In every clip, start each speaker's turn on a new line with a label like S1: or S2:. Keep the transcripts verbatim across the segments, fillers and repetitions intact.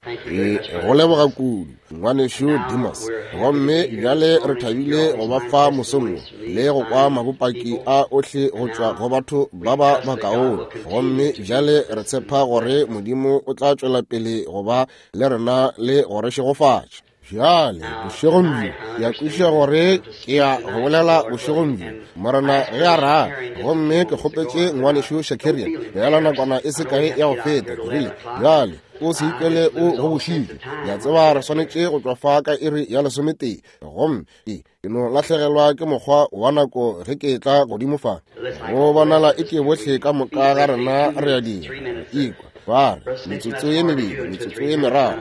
S1: Ke go leboga kudu, ngwanešu Dimas. Gomme bjale re thabile go ba fa mosong wo le go kwa mabopaki a ohle go tšwa go batho ba ba bakaone. Gomme bjale re tshepa gore Modimo o tla tšwela pele go ba le rena le go re šegofatša. Bjale bošegong bjo ke a kwešiša gore ke ya go bolela bošegong bjo, Morena ge a rata. Gomme ke kgopetše ngwanešu Shakarian bjala nakwana e se kae ya go feta, ke rile, bjale o se ikwele o gobošitšwe. Ke a tseba re swanetše go tšwa fa ka iri ya lesometee, gomme ke ke no lahlegelwa ke mokgwa wa nako ge ke tla godimo fa. Go bonala e ke bohle ka moka ga rena re a dira, re ikwa ba re metsotso ye mebedi, metsotso ye meraro.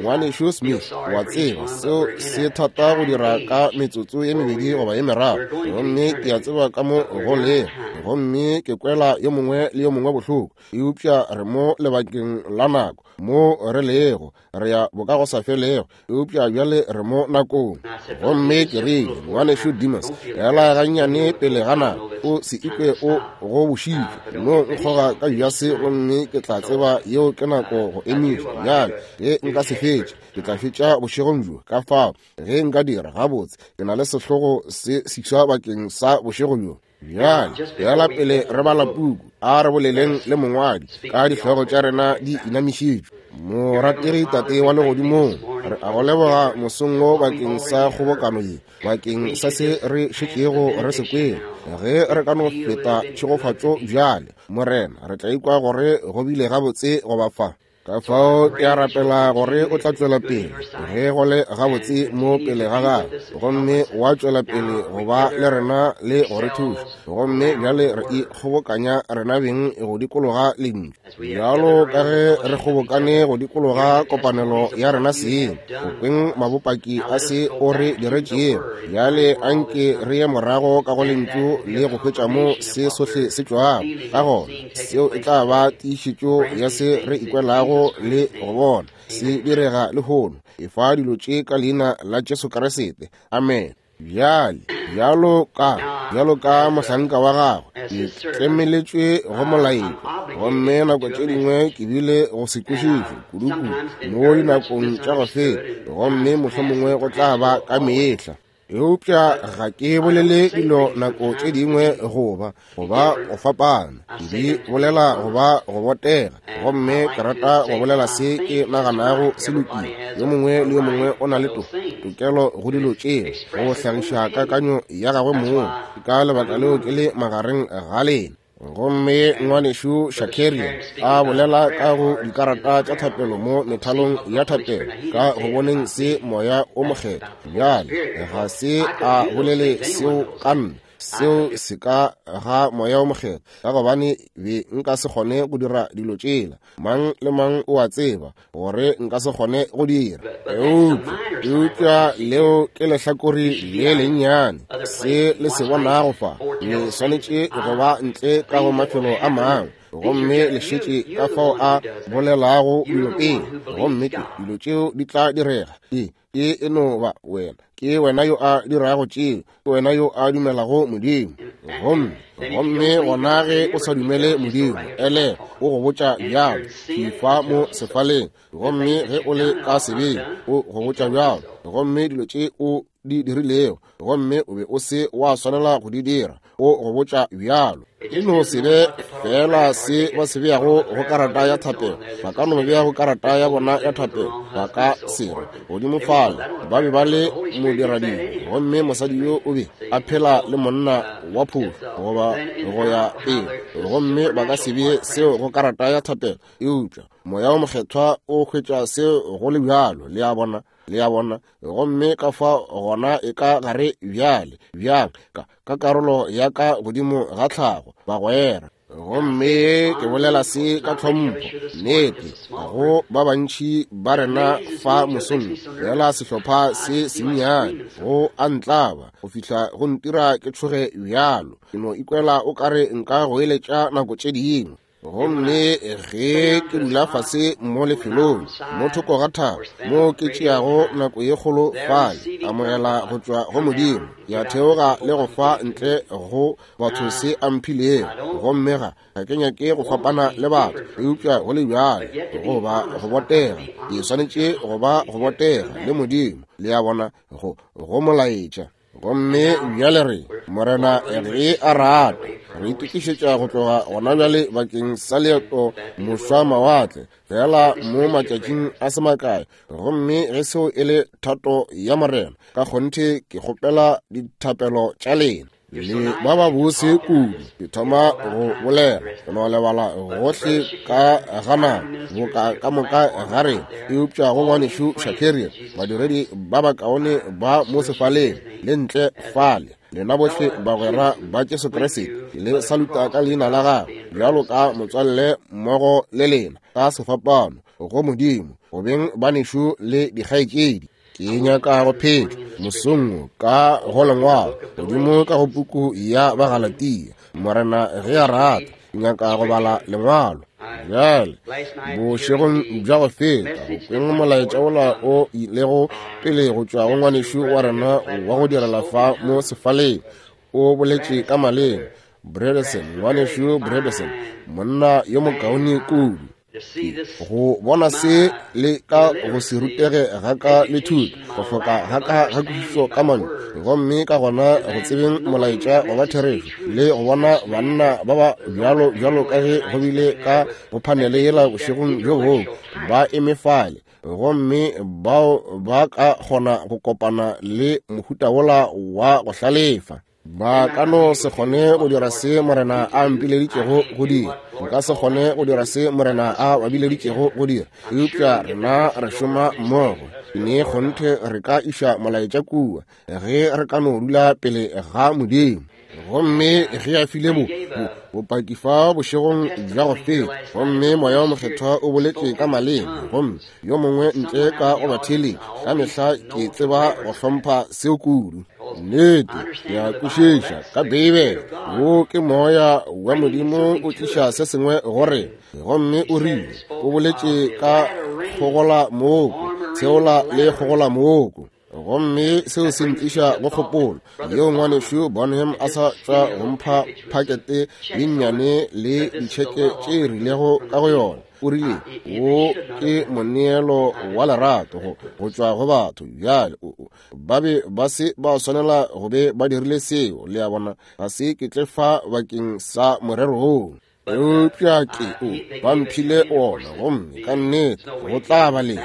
S1: Ngwanešu Smith, wa tseba seo se thata go dira ka metsotso ye mebedi goba ye meraro, gomme ke a tseba ka mo go lego, gomme ke kwela yo mongwe le yo mongwe bohloko. Eupša re mo lebakeng la nako mo re lego, re ya bokagosafelego, eupša bjale re mo nakong. Gomme ke rile, ngwanešu Dimas, ela gannyane pele ga nako, o se ikwe o gobošitšwe, no nkgoga ka bjase, gomme ke tla tseba yeo ke nako go emiša. Bjale ge nka se fetše, ke tla fetša bošegong bjo. Ka fao ge nka dira gabotse, ke na le sehlogo se seswa bakeng sa bošego bjo. Bjale bjala pele re bala puku, a re boleleng le mongwadi ka dihlogo tša rena di inamišitšwe. Morategi Tate wa legodimong, re a go leboga mosong wo bakeng sa kgobokano ye, bakeng sa se re šetšego re se kwele. Ge re ka no feta tšhegofatšo bjale, Morena, re tla ikwa gore go bile gabotse go ba fa. Ka fao ke a rapela gore o tla tšwela pele ge go le gabotse mo pele ga gago, gomme wa tšwela pele go ba le rena le go re thuša. Gomme bjale re ikgobokanya rena beng go dikologa lentšu, bjalo ka ge re kgobokane go dikologa kopanelo ya rena seng, go kweng mabopaki a se o re diretšego. Bjale anke re ye morago ka go lentšu le go hwetša mo se sohle se tšwago. Ka gona seo e tla ba tiišetšo ya se re ikwelago le go bona se direga lehono. Efa dilo tše ka leina la Jesu Kriste, amen. Bjale bjalo ka bjalo ka mohlanka wa gagwe, ke tlemeletšwe go molaetšo, gomme nako tše dingwe ke bile go se kwešiše kudukudu mo dinakong tša go feta, gomme mohlomongwe go tla ba ka mehla. Eupša ga ke bolele dilo nako tše dingwe goba goba go fapana, ke di bolela goba go botega, gomme ke rata go bolela se ke naganago se lokile. Yo mongwe le yo mongwe o na le to tokelo go dilo tšeo, go hlagiša kakanyo ya gagwe mong. Ka lebaka leo ke le magareng ga lena. Gomme ngwanešu Shakarian a bolela ka go dikarata tša thapelo mo methalong ya thapelo, ka go boneng se Moya o Mokgethwa. Bjale ga se a bolele seo ka nna, seo se ka ga Moya o Mokgethwa, ka gobane be nka se kgone go dira dilo tšela. Mang le mang o a tseba gore nka se kgone go dira. Eupša eupša leo ke lehlakore le lennyane, se le se bonago fa, le swanetše go ba ntle ka go mafelo a mangwe, gomme le šetše ka fao a bolelago dilo pele, gomme ke dilo tšeo di tla direga. Ke ke e no ba wena, ke wena yo a dirago tšeo, ke wena yo a dumelago Modimo. Gomme gomme gona ge o sa dumele Modimo, ele o go botša bjalo, fifa mo sefaleng. Gomme ge o le ka sebeng, o go botša bjalo, gomme dilo tše o di dirilego, gomme o be o se wa swanela go di dira, o go botša bjalo. E no se be fela se ba se beago go karata ya thapelo. Ba ka no bea go karata ya bona ya thapelo, ba ka se re godimo fale ba be ba le modiradibe, gomme mosadi yo o be a phela le monna wa phofu goba go ya pele, gomme ba ka se bee seo go karata ya thapelo. Eupša Moya o Mokgethwa o hwetša seo go le bjalo, le a bona, le a bona. Gomme ka fa gona e ka gare bjale, bjang ka ka karolo ya ka godimo ga tlhago, bagwera. Gomme ke bolela se ka tlhompho, nnete, go ba bantši ba rena fa mosong, fela sehlopha se sennyane go a ntlaba go fihla go ntira ke tšhoge bjalo. Ke no ikwela o kare nka go eletša nako tše dingwe. Gomme ge ke dula fase mo lefelong mo thoko ga thaba mo ke tšeago nako ye kgolo fale, amogela go tšwa go Modimo, ya theoga le go fa ntle go batho se a mphilego. Gomme ga ga ke nyake go fapana le batho, eupša go le bjalo go ba go botega, ke swanetše go ba go botega le Modimo, le a bona, go go molaetša. Gomme bjale re Morena ge a rata re itokišetša go tloga gona bjale bakeng sa leeto mošwa mawatle fela mo matšatšing a se makae. Gomme ge seo e le thato ya Morena, ka kgonthe ke kgopela dithapelo tša lena. Le ba ba bose kudu, ke thoma go bolela go no lebala gohle ka gana boka ka moka ga rena, eupša go ngwanešu Shakarian, badiredi ba bakaone ba mo sefaleng le ntle fale, lena bohle bagwera ba Jesu Kriste, le saluta ka leina la gagwe bjalo ka motswalle mmogo le lena ka sefapano go Modimo, go beng banešu le dikgaetšedi. Ke nyaka go phetla mosong ka go lengwalo godimo ka go puku ya Bagalatia, Morena ge a rata, ke nyaka go bala lengwalo. Bjale bošegong bja go feta go kweng molaetša wola o ilego pele go tšwa go ngwanešu wa rena wa go direla fa mo sefaleng, o boletše ka maleme, Bredesen, ngwanešu Bredesen, monna yo mokaone kudu. Go bona se le ka go se rutege ga ka le thuto, go hloka ga ka ga kwešišo ka mantšu, gomme ka gona go tsebeng molaetša wa ba therešo, le go bona banna ba ba bjalo bjalo ka ge go bile ka go phanele yela bošegong bjo bongwe, ba eme fale, gomme bao ba ka kgona go kopana le mohuta wola wa go hlalefa. Ba ka no se kgone go dira se Morena a mpileditšego go dira, nka se kgone go dira se Morena a ba bileditšego go dira, eupša rena re šoma mmogo. Ne kgonthe re ka iša molaetša kua ge re ka no dula pele ga Modimo. Gomme ge a file bo bopaki fa bošegong bja go feta, gomme Moya wa Mokgethwa o boletše ka maleme, gomme yo mongwe ntle ka go batheeletši, ka mehla ke tseba go hlompha seo kudu. Nnete ke a kwešiša ka Beibele, wo ke Moya wa Modimo o tliša se sengwe go rena. Gomme o rile o boletše ka kgogola mooko, tsheola le kgogola mooko. Gomme seo se ntliša go kgopolo yeo ngwanešu Bonham a sa tšwa go mpha phakete ye nnyane le ditšheke tše rilego ka go yona. O rile wo ke moneelo wa lerato go go tšwa go batho. Bjale ba be ba se ba swanela go be ba dirile seo, le a bona, ga se ke tle fa bakeng sa morero woo, eupša ke o ba mphile ona, gomme ka nnete go tla ba le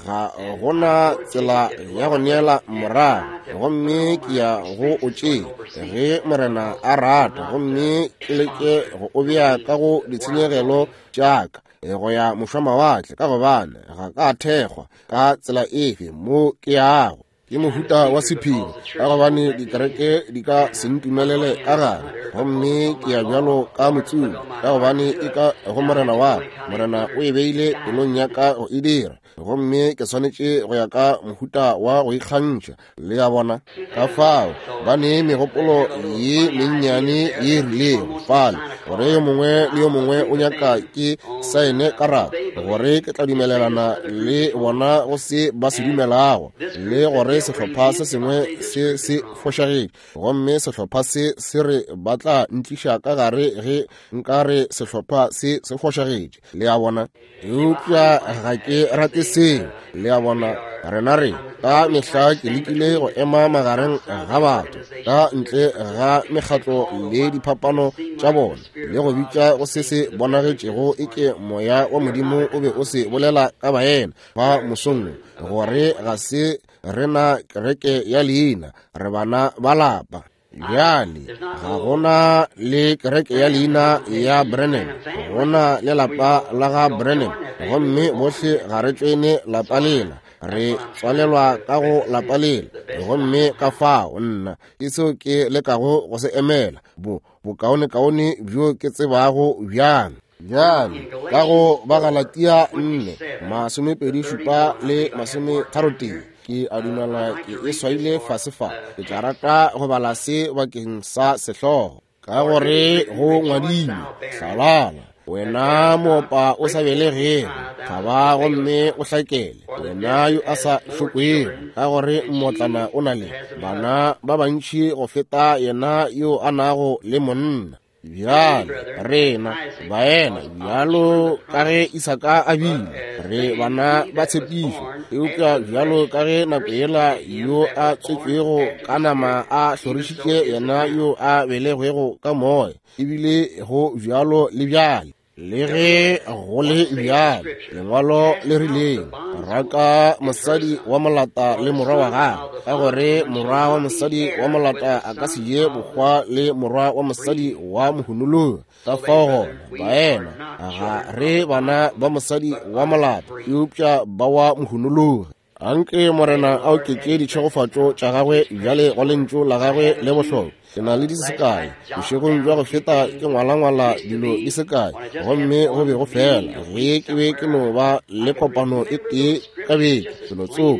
S1: ga gona tsela ya go neela morago, gomme ke ya go o tšea ge Morena a rata, gomme ke leke go o bea ka go ditshenyegelo tša ka go ya mošwamawatle, ka gobane ga ka thekgwa ka tsela efe mo ke yago. Ke mohuta wa sephiri, ka gobane dikereke di ka se ntumelele ka gare, gomme ke ya bjalo ka motsubi, ka gobane e ka go Morena wa ka. Morena o e beile pelong ya ka go e dira, gomme ke swanetše go ya ka mohuta wa go ikgantšha, le a bona. Ka fao ba ne megopolo ye mennyane ye rilego fale, gore yo mongwe le yo mongwe o nyaka ke saene karata, gore ke tla dumelelana le bona go se ba se dumelago, le gore sehlopha se sengwe se se fošagetše, gomme sehlopha se se re ba tla ntliša ka gare ge nka re sehlopha se se fošagetše, le a bona. Eupša ga ke rate seo, le a bona. Rena re ka mehla ke lekile go ema magareng ga batho ka ntle ga mekgatlo le diphapano tša bona, le go bitša go se se bonagetšego eke Moya wa Modimo o be o se bolela ka baena ba mosong, gore ga se rena kereke ya leina, re bana ba lapa. Bjale ga gona le kereke ya leina ya Brennan, gona le lapa la ga Brennan, gomme bohle ga re tšwene lapa lela, re tswalelwa ka go lapa lela. Gomme ka fao nna ke seo ke lekago go se emela, bo bokaonekaone bjo ke tsebago bjang. Bjale ka go Bagalatia nne masomepedi šupa le masometharotee, ke a dumela ke e swaile fase fa, ke tla rata go bala se bakeng sa sehlogo, ka gore go ngwadilwe, hlalala Wena moopa o sa belegego, thaba gomme o hlakele, wena yo a sa šokwego, ka gore mmotlana o na le bana ba bantši go feta yena yo a nago le monna. Bjale rena baena, bjalo ka ge Isaka a bile, re bana ba tshepišo, eupša bjalo ka ge nako yela yo a tswetšwego ka nama a hlorišitše yena yo a belegwego ka moya, ebile go bjalo le bjale. Le ge go le bjalo, lengwalo le rileng, raka mosadi wa molata le morwa wa gagwe, ka gore morwa wa mosadi wa molata a ka se je bohwa le morwa wa mosadi wa mohunologi. Ka fao gona, baena, ga re bana ba mosadi wa molata, eupša ba wa mohunologi. Anke Morena a oketše ditšhegofatšo tša gagwe bjale go lentšu la gagwe le bohlokwa. Ke na le di se kae bošegong bja go feta, ke ngwalangwala dilo di se kae, gomme go be go fela ge ke be ke no ba le kopano e tee ka beke felotsoko.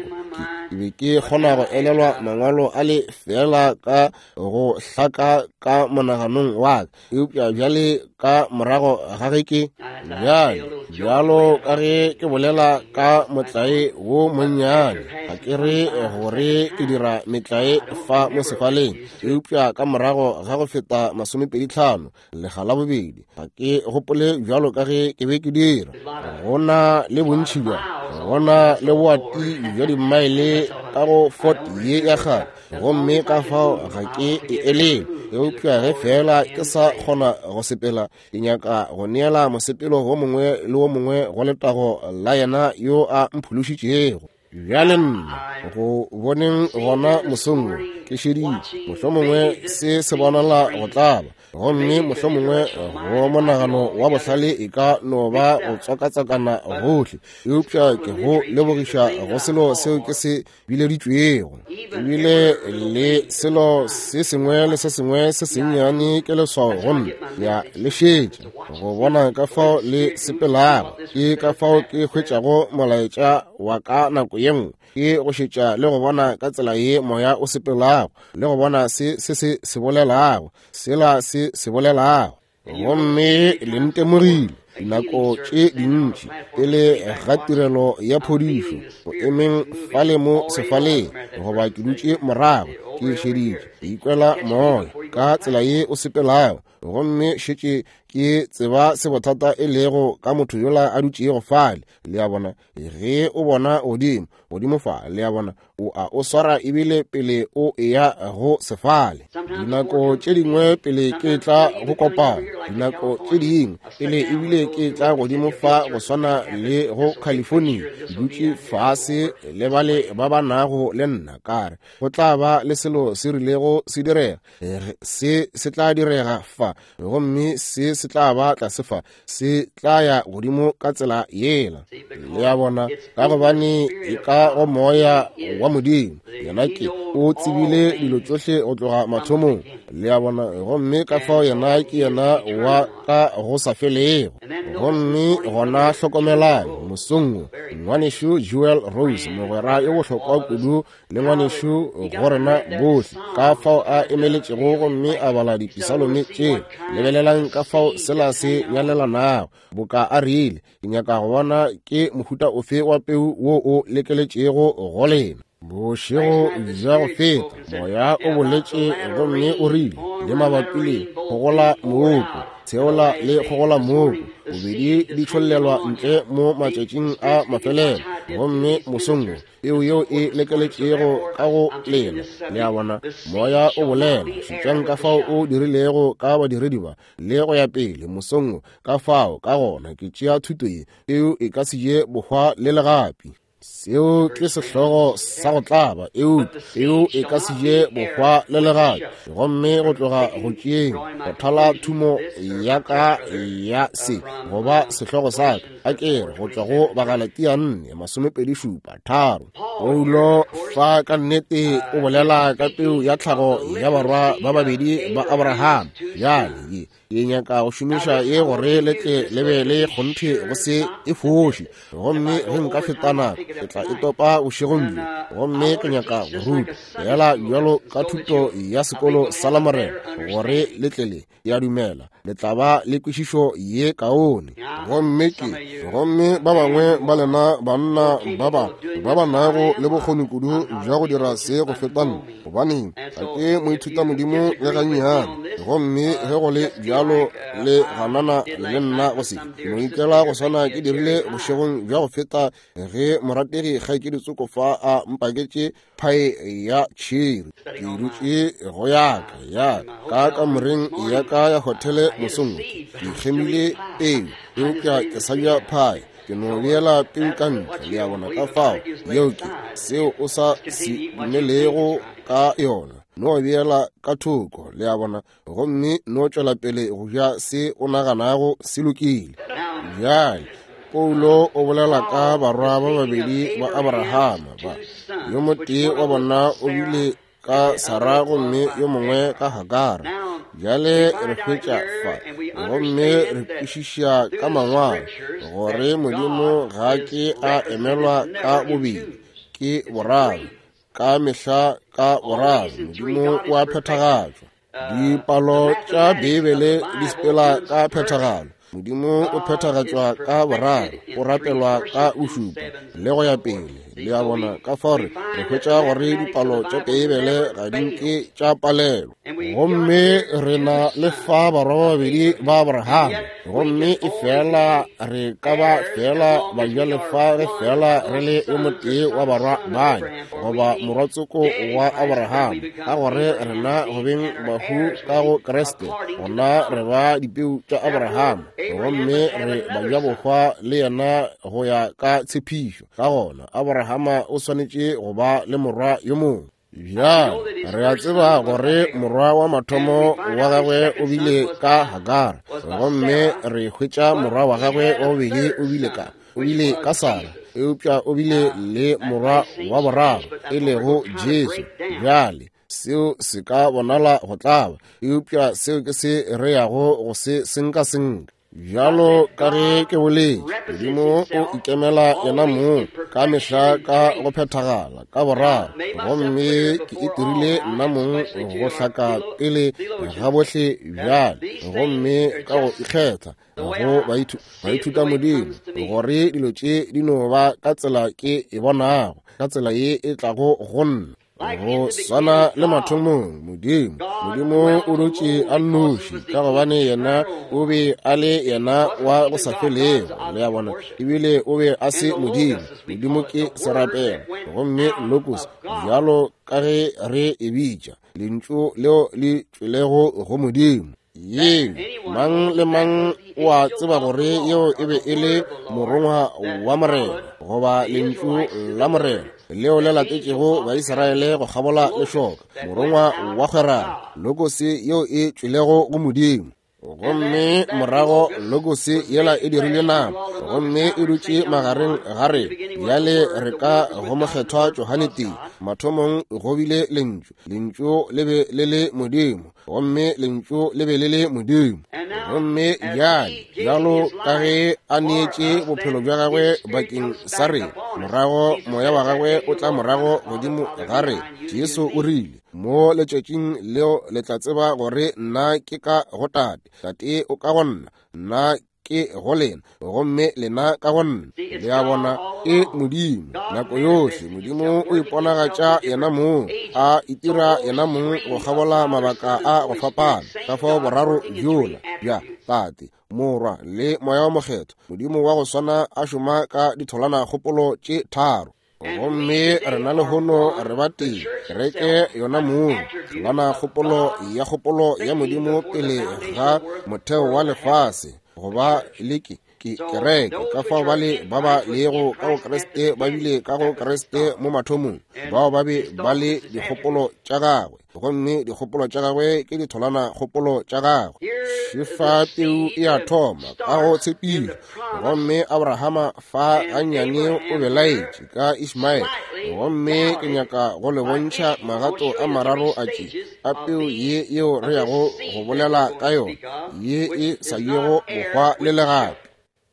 S1: Ke be ke kgona go elelwa mangwalo a le fela ka go hlaka ka monaganong wa ka, eupša bjale ka morago ga ge ke bjale bjalo ka ge ke bolela ka motlae wo monnyane, ga ke re gore ke dira metlae fa mo sefaleng, eupša ka morago ga go feta masomepedi tlhano lega la bobedi, ga ke gopole bjalo ka ge ke be ke dira. Go na le bontši bja, go na le boati bja dimaele ka go Fort ye ya kgale, gomme ka fao ga ke e elele, eupša ge fela ke sa kgona go sepela, ke nyaka go neela mosepelo wo mongwe le wo mongwe go letago la yena yo a mphološitšego. Bjale nna go boneng gona mosong wo, ke šeditše, mohlomongwe se se bonala go tlaba, gomme mohlomongwe go monagano wa bohlale e ka no ba go tswakatswakana gohle, eupša ke go lebogiša go selo seo ke se bileditšwego. Ebile le selo se sengwe le se sengwe se sennyane ke leswao go nna, ya le šetša go bona ka fao le sepelago. Ke ka fao ke hwetšago molaetša wa ka nako ye nngwe, ke go šetša le go bona ka tsela ye moya o sepelago, le go bona se se se se bolelago, sela se se bolelago. Gomme le ntemogile dinako tše dintši pele ga tirelo ya phodišo, go emeng fale mo sefaleng, goba ke dutše morago ke šeditše, ke ikwela moya ka tsela ye o sepelago, gomme šetše ke tseba se bothata e lego ka motho yola a dutšego fale. Le a bona, ge o bona godimo godimo fa, le a bona, o a o swara ebile pele o eya go sefale. Dinako tše dingwe pele ke tla go kopana, dinako tše dingwe pele ebile ke tla godimo fa go swana le go California, ke dutše fase le bale ba ba nago le nna, ka re go tla ba le selo se rilego se direga, se se tla direga fa, gomme se se tla ba tlase fa, se tla ya godimo ka tsela yela. Le a bona, ka gobane e ka go moya wa Modimo, yena ke o tsebile dilo tšohle go tloga mathomong. Le a bona, gomme ka fao yena ke yena wa ka go sa felego. Gomme gona hlokomelang mosong wo, ngwanešu Jewel Rose, mogwera yo bohlokwa kudu le ngwanešu go rena bohle, ka fao a emeletšego gomme a bala dipisalome tše. Lebelelang ka fao sela se nyalelanago, boka a rile, ke nyaka go bona ke mohuta ofe wa peu wo o lekeletšego go lena. Bošego bja go feta moya o boletše gomme o rile le mabapi le kgogola mooko, tsheola le kgogola mooko, bobedi di tšhollelwa ntle mo matšatšing a mafelelo, gomme mosong wo peu yeo e lekeletšego ka go lena. Le a bona, moya o bolela. Šetšang ka fao o dirilego ka badiredi ba le go ya pele mosong wo. Ka fao ka gona ke tšea thuto ye, peu e ka se je bohwa le legapi. Seo ke sehlogo sa go tlaba, eupša peu e ka se je bohwa le legapi. Gomme go tloga go tšeeng go thala thumo ya ka ya se goba sehlogo sa ka, a ke re go tšwa go Bagalatia nne masomepedi šupa tharo. Paulo fa ka nnete o bolela ka peu ya tlhago ya barwa ba babedi ba Abraham. Bjale ye Ke nyaka go šomiša ye gore le tle le be le kgonthe go se e foše. Gomme ge nka feta nako, ke tla e topa bošegong bjo. Gomme ke nyaka go ruta fela bjalo ka thuto ya sekolo sa Lamorena, gore le tle le, ke a dumela, le tla ba le kwešišo ye kaone. Gomme ke, gomme ba bangwe ba lena banna ba ba ba ba nago le bokgoni kudu bja go dira se go feta nna, gobaneng ga ke moithutamodimo le gannyane. Gomme ge go le bjalo le ganana le nna go se, ke no ikela go swana ke dirile bošegong bja go feta ge morategi kgaetšedi Tsoko fa a mpaketše phae ya tšhiri. Ke dutše go ya ka ya ka kamoreng ya ka ya hotele mosong, ke kgemile peu, eupša ke sa ja phae. Ke no beela peu ka ntle, le a bona. Ka fao yeo ke seo o sa se dumelego ka yona, no beela ka thoko, le a bona, gomme no tšwela pele go ja se o naganago se lokile. Bjale Paulo o bolela ka barwa ba babedi ba Abrahama ba, yo motee wa bona o bile ka Sara gomme yo mongwe ka Hagara. Bjale re hwetša fa, gomme re kwešiša ka mangwalo gore Modimo ga ke a emelwa ka bobedi, ke boraro, ka mehla ka boraro. Modimo o a phethagatšwa. Dipalo tša Beibele di sepela ka phethagalo. Modimo o phethagatšwa ka boraro, o rapelwa ka bošupa, le go ya pele. Le a bona? Ka fao re hwetša gore dipalo tša Beibele ga di nke tša palelwa. Gomme re na le fa barwa ba babedi ba Abrahama, gomme e fela re ka ba fela bajalefa ge fela re le yo motee wa barwa bane, goba morwatsoko wa Abrahama, ka gore rena go beng bahu ka go Kriste, gona re ba dipeu tša Abrahama, gomme re bajabohwa le yena go ya ka tshepišo. Ka gona Abrahama o swanetše go ba le morwa yo mongwe. Bjale re a tseba gore morwa wa mathomo wa gagwe o bile ka Hagara, gomme re hwetša morwa wa gagwe wa bobedi o bile ka o bile ka Sara, eupša o bile le morwa wa boraro e lego Jesu. Bjale seo se ka bonala go tlaba, eupša seo ke se re yago go se senka senka. Bjalo ka ge ke boletše, Modimo o ikemela yena mong ka mehla ka go phethagala ka boraro, gomme ke itirile nna mong go hlaka pele ga bohle bjale, gomme ka go ikgetha go baithuta Modimo, gore dilo tše di no ba ka tsela ke e bonago, ka tsela ye e tlago go nna. Go swana le mathomong, Modimo Modimo o dutše a nnoši, ka gobane yena o be a le yena wa go sa felego, le a bona, ebile o be a se Modimo. Modimo ke serapelo, gomme logos, bjalo ka ge re e bitša, lentšu leo le tšwelego go Modimo. Yeo mang le mang o a tseba gore yeo e be e le morongwa wa Morena, goba lentšu la Morena leo le latetšego Baisraele go kgabola lešoka, morongwa wa kgwerano, logos yeo e tšwelego go Modimo. Gomme morago logos yela e dirile nama, gomme e dutše magareng ga rena. Bjale re ka go mokgethwa Johane tee, mathomong go bile lentšu, lentšu le be le le Modimo, gomme lentšu le be le le Modimo. Gomme bjale bjalo ka ge a neetše bophelo bja gagwe bakeng sa rena, morago moya wa gagwe o tla morago godimo ga rena. Jesu o rile, mo letšatšing leo le tla tseba gore nna ke ka go Tate, Tate o ka go nna, nna ke go lena, gomme lena ka go nna. Le a bona? Ke Modimo nako yohle. Modimo o iponagatša yena mong, a itira yena mong go kgabola mabaka a go fapana. Ka fao boraro bjola bja Tate, Morwa le Moya wa Mokgethwa, Modimo wa go swana a šoma ka ditholwana kgopolo tše tharo. Gomme rena lehono re ba tee, kereke yona mong, tholwana kgopolo ya kgopolo ya Modimo pele ga motheo wa lefase, goba le ke ke kereke. Ka fao ba le ba ba lego ka go Kriste ba bile ka go Kriste mo mathomong, bao ba be ba le dikgopolo tša gagwe, gomme dikgopolo tša gagwe ke ditholwana kgopolo tša gagwe. Šefa peu e a thoma ka go tshepišo. Gomme Abrahama fa gannyane o belaetše ka Ishmaele. Gomme ke nyaka go le bontšha magato a mararo a tše a peu ye yeo re yago go bolela ka yona, ye e sa yego bohwa le legapi.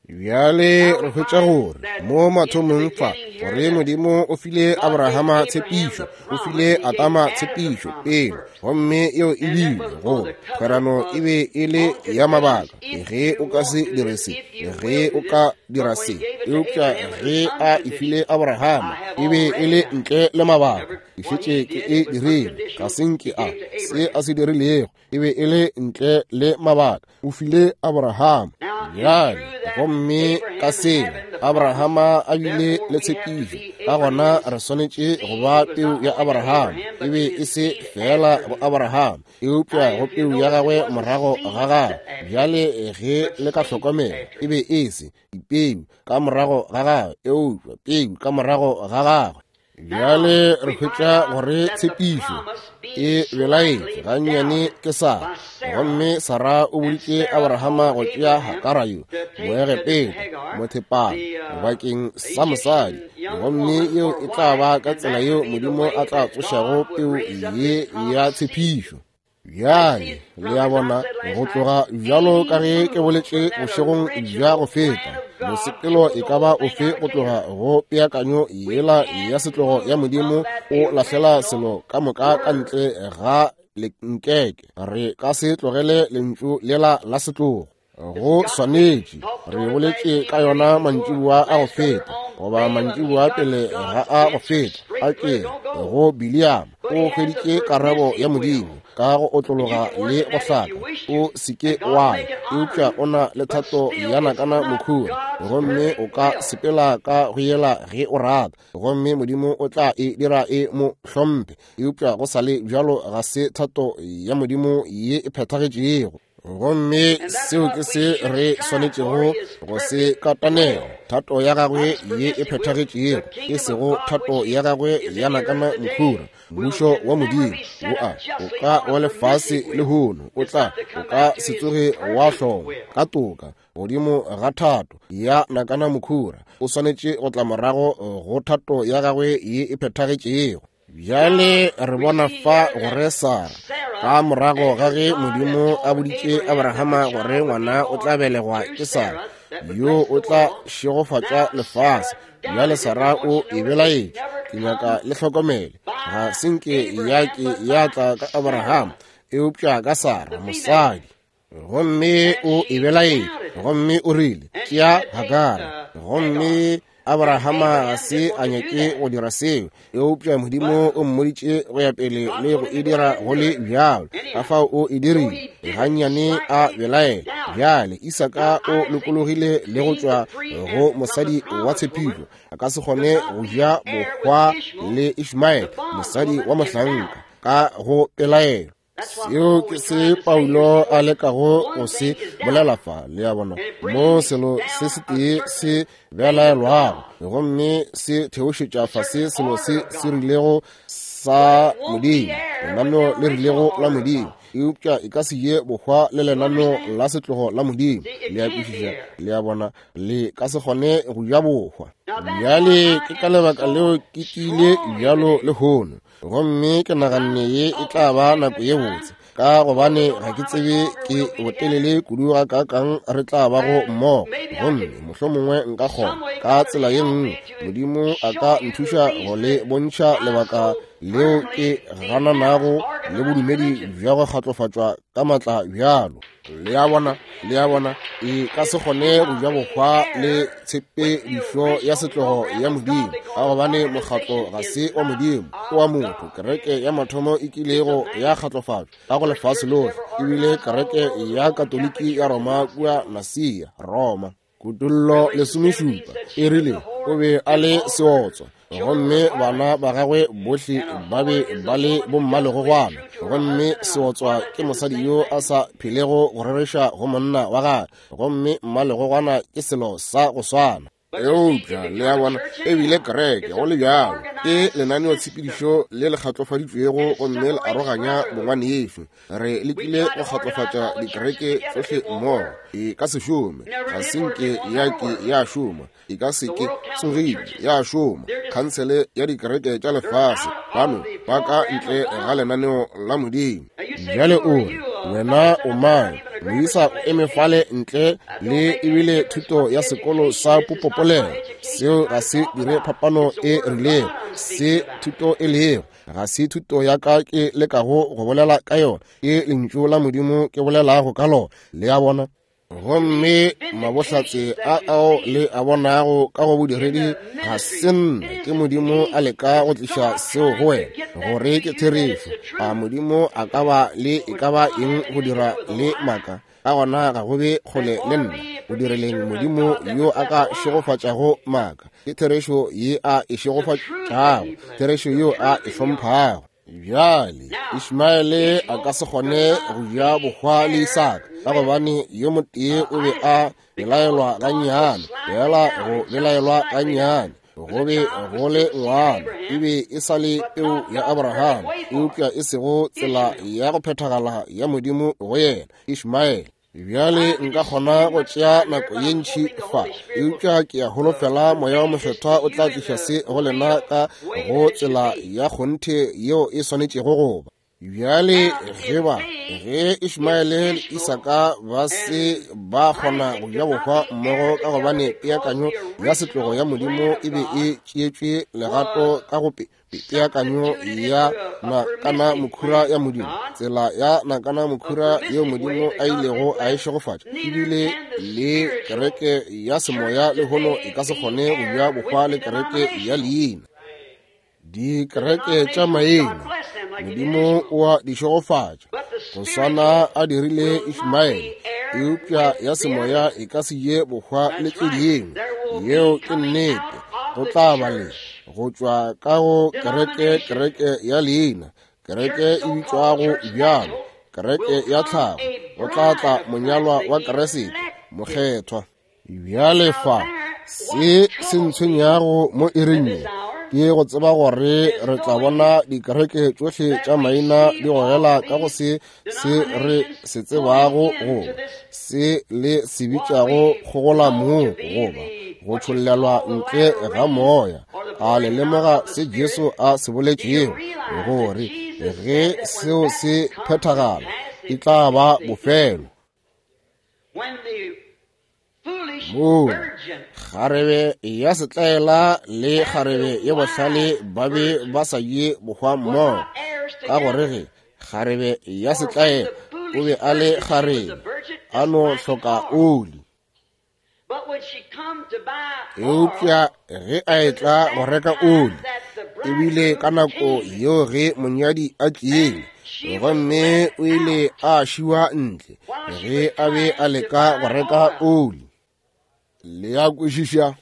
S1: Bjale re hwetša gore mo mathomong fa gore Modimo o file Abrahama tshepišo, o file Adama tshepišo pele, gomme yeo e bile gore kgwerano e be e le ya mabaka. Ge o ka se dire se, ge o ka dira se, eupša ge a e file Abrahama e be e le ntle le mabaka. Ke šetše ke e dirile, ga se nke a se a se dirilego e be e le ntle le mabaka. O file Abrahama. Bjale gomme ka seo Abrahama a bile le tshepišo, ka gona re swanetše go ba peu ya Abrahama. E be e se fela go Abrahama, eupša go peu ya gagwe morago ga gagwe. Bjale ge le ka hlokomela, e be e se dipeu ka morago ga gagwe, eupša peu ka morago ga gagwe. Bjale re hwetša gore tshepišo e belaetše gannyane ke Sara. Gomme Sara o boditše Abrahama go tšea Hagara yo Moegepeta mothepana bakeng sa mosadi, gomme yeo e tla ba ka tsela yeo Modimo a tla tsošago peu ye ya tshepišo. Bjale le a bona, go tloga bjalo ka ge ke boletše bošegong bja go feta, mosepelo e ka ba ofe go tloga go peakanyo yela ya setlogo ya Modimo o lahlela selo ka moka ka ntle ga lenkeke. Re ka se tlogele lentšu lela la setlogo. Go swanetše, re boletše ka yona mantšiboa a go feta, goba mantšiboa pele ga a go feta, a ke go Biliama o hweditše karabo ya Modimo ka go otlologa le go hlaka. O se ke wa ya, eupša o na le thato ya nakana mokhura, gomme o ka sepela ka go yela ge o rata, gomme Modimo o tla e dira e mo hlomphe, eupša go sa le bjalo ga se thato ya Modimo ye e phethagetšego. Gomme seo ke se re swanetšego go se katanela, thato ya gagwe ye e phethagetšego, e sego thato ya gagwe ya nakana mokhura. Mmušo wa Modimo wo a o ka wa lefase lehono o tla o ka se tsoge wa hlongwa ka toka godimo ga thato ya nakana mokhura. O swanetše go tla morago go thato ya gagwe ye e phethagetšego. Bjale re bona fa gore Sara, ka morago ga ge Modimo a boditše Abrahama gore ngwana o tla belegwa ke Sara, yo o tla šegofatša lefase. Bjale Sara o e belaetše. Ke nyaka le hlokomele, ga se nke ya ke ya tla ka Abrahama, eupša ka Sara mosadi. Gomme o e belaetše, gomme o rile tšea Hagara. Gomme Abrahama ga se a nyake go dira seo, eupša Modimo o mmoditše go ya pele le go e dira go le bjalo. Ka fao o e dirile, gannyane a belaela. Bjale Isaka o lokologile le go tšwa go mosadi wa tshepišo, a ka se kgone go ja bohwa le Ishmaele mosadi wa mohlanka ka go pelaelo. Seo ke se Paulo a lekago go se bolela fa, le a bona, mo selo se setee se belaelwago gomme se theošetša fase selo se se rilego sa Modimo, lenaneo le rilego la Modimo, eupša e ka se ye bohwa le lenaneo la setlogo la Modimo. Le a kwešiša? Le a bona, le ka se kgone go ja bohwa. Bjale ke ka lebaka leo ke tlile bjalo lehono, gomme ke naganne ye e tla ba nako ye botse, ka gobane ga ke tsebe ke botelele kudu ga kakang re tla bago mmogo, gomme mohlomongwe nka kgona ka tsela ye nngwe Modimo a ka nthuša go le bontšha lebaka leo ke gananago le bodumedi bja go kgatlofatšwa ka matla bjalo. Le a bona, le a bona, e ka se kgone go ja bohwa le tshepedišo ya setlogo ya Modimo, ka gobane mokgatlo ga se wa Modimo, ke wa motho. Kereke ya mathomo e kilego ya kgatlofatšwa ka go lefase lohle ebile kereke ya Katoliki ya Roma kua Nasia, Roma. Kutullo lesomešupa e rile o be a le seotswa, gomme bana ba gagwe bohle ba be ba le bommalegogwana, gomme seotswa ke mosadi yo a sa phelego go rereša go monna wa gagwe, gomme mmalegogwana ke selo sa go swana. Eupša le a bona, ebile kereke go le bjalo ke lenaneotshepedišo le le kgatlofaditšwego gomme le aroganya bongwanešu. Re lekile go kgatlofatša dikereke tšohle mmogo, e ka se šome, ga se nke ya ke ya šoma, e ka se ke tsogile ya šoma. Khansele ya dikereke tša lefase bano ba ka ntle ga lenaneo la Modimo. Bjale o re, wena o mang? Moisa o eme fale ntle le ebile thuto ya sekolo sa popopolelo. Seo ga se dire phapano e rilego se thuto e lego. Ga se thuto ya ka ke lekago go bolela ka yona, ke lentšu la Modimo ke bolelago ka lona. Le a bona? Gomme mabohlatse a ao le a bonago ka go bodiredi ga se nna, ke Modimo a leka go tliša seo go wena gore ke therešo. A Modimo a ka ba le e ka ba eng go dira le maaka? Ka gona ga go be kgole le nna go direleng Modimo yo a ka šegofatšago maaka. Ke therešo ye a e šegofatšago, therešo yo a e hlomphago. Bjale Ishmaele a ka se kgone go ja bohwa le Isaka, ka gobane yo motee o be a belaelwa gannyane, fela go belaelwa gannyane go be go le ngwana, e be e sa le peu ya Abraham, eupša e sego tsela ya go phethagala ya Modimo go yena Ishmaele. Bjale nka kgona go tšea nako ye ntši fa, eupša ke a holofela Moya wa Mokgethwa o tla tliša se go lena ka go tsela ya kgonthe yeo e swanetšego go ba. Bjale ge ba ge Ishmaele le Isaka ba se ba kgona go ja bohwa mmogo, ka gobane peakanyo ya setlogo ya Modimo e be e tšeetšwe legato ka go peakanyo ya nakana mokhura ya Modimo, tsela ya nakana mokhura yeo Modimo a ilego a e šegofatša, ebile le kereke ya semoya lehono e ka se kgone go ja bohwa le kereke ya leina. Dikereke tša maina Modimo o a di šegofatša go swana a dirile Ishmaele, eupša ya semoya e ka se je bohwa le tše dingwe. Yeo ke nnete. Go tla ba le go tšwa ka go kereke, kereke ya leina, kereke e bitšwago bjalo, kereke ya tlhago, go tla tla monyalwa wa Kriste mokgethwa. Bjale fa se se ntshwenyago mo iring ye ke go tseba gore re tla bona dikereke tšohle tša maina di gogela ka go se se re se tsebago goba se le se bitšago kgogola moo goba go tšhollelwa ntle ga moya. A le lemoga se Jesu a se boletšego, gore ge seo se phethagala e tla ba bofelo? Moo kgarebe ya setlaela le kgarebe ye bohlale ba be ba sa je bohwa mmogo, ka gore ge kgarebe ya setlaela o be a le kgarebe a no hloka oli, eupša ge a etla go reka oli, ebile ka nako yeo ge monyadi a tlile, gomme o ile a šiwa ntle ge a be a leka go reka oli. Le a kwešiša?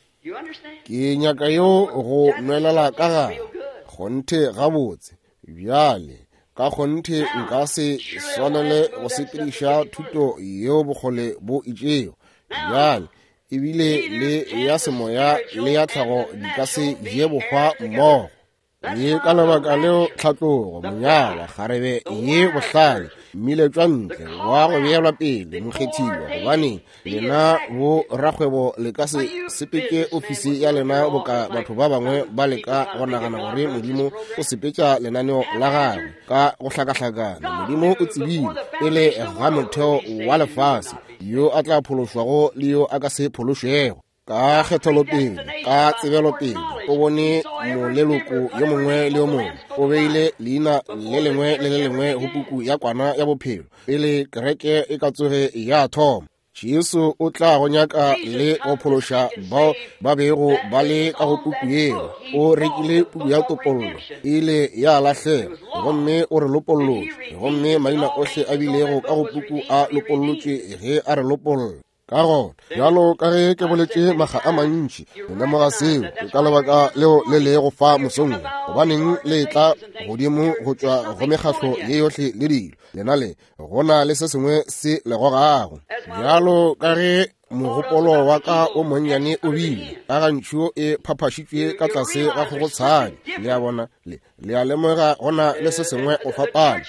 S1: Ke nyaka yo go nwelela ka gare kgonthe gabotse. Bjale ka kgonthe nka se swanele go sepediša thuto yeo bokgole bo itšego. Bjale ebile le ya semoya le ya tlhago di ka se je bohwa mmogo. Ye ka lebaka leo tlhatlogo, monyalwa, kgarebe ye bohlale, mmiletšwa ntle wa go beelwa pele mokgethiwa, gobane lena bo rakgwebo le ka se sepetše ofisi ya lena boka batho ba bangwe ba leka go nagana gore Modimo o sepetša lenaneo la gagwe ka go hlakahlakana. Modimo o tsebile pele ga motheo wa lefase yo a tla phološwago le yo a ka se phološwego. Ka kgethelopele, ka tsebelopele, o bone moleloko yo mongwe le yo mongwe, o beile leina le lengwe le le lengwe go puku ya kwana ya bophelo pele kereke e ka tsoge ya thoma. Jesu o tla go nyaka le go phološa bao ba bego ba le ka go puku yeo. O rekile puku ya topollo, e ile ya lahlega, gomme o re lopollotše, gomme maina ohle a bilego ka go puku a lopollotšwe ge a re lopolla. Ka gona, bjalo ka ge ke boletše makga a mantši, le lemoga seo ke ka lebaka leo le lego fa mosong, gobaneng le tla godimo go tšwa go mekgahlo ye yohle le dilo, lena le gona le se sengwe se le gogago. Bjalo ka ge mogopolo wa ka o monnyane o bile ka gantšhu e phaphašitšwe ka tlase ga kgogotshadi. Le a bona, le le a lemoga go na le se sengwe go fapana.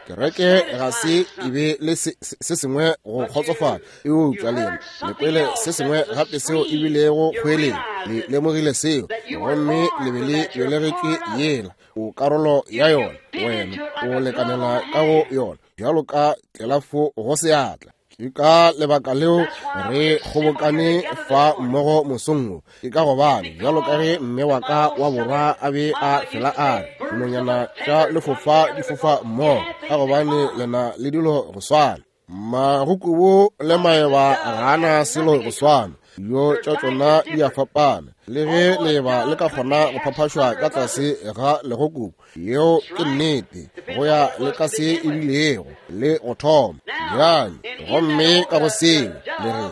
S1: Kereke ga se e be le se, se sengwe go kgotsofala, eupša lena le kwele se sengwe gape seo e bilego kgweleng. Le lemogile seo, gomme le be le belegetšwe yela. O karolo ya yona, wena o lekanela ka go yona bjalo ka tlelafo go seatla. Ke ka lebaka leo re kgobokane fa mmogo mosong wo. Ke ka gobane bjalo ka ge mme wa ka wa borwa a be a fela a re, dinonyana tša lefofa di fofa mmogo, ka gobane lena le dilo go swana. Magokobu le maeba ga ana selo go swana, dijo tša tšona di a fapana. Le ge leeba le ka kgona go phaphašwa ka tlase ga legokobu, yeo ke nnete, go ya le ka se e bilego le go thoma. Bjale gomme ka go seo le re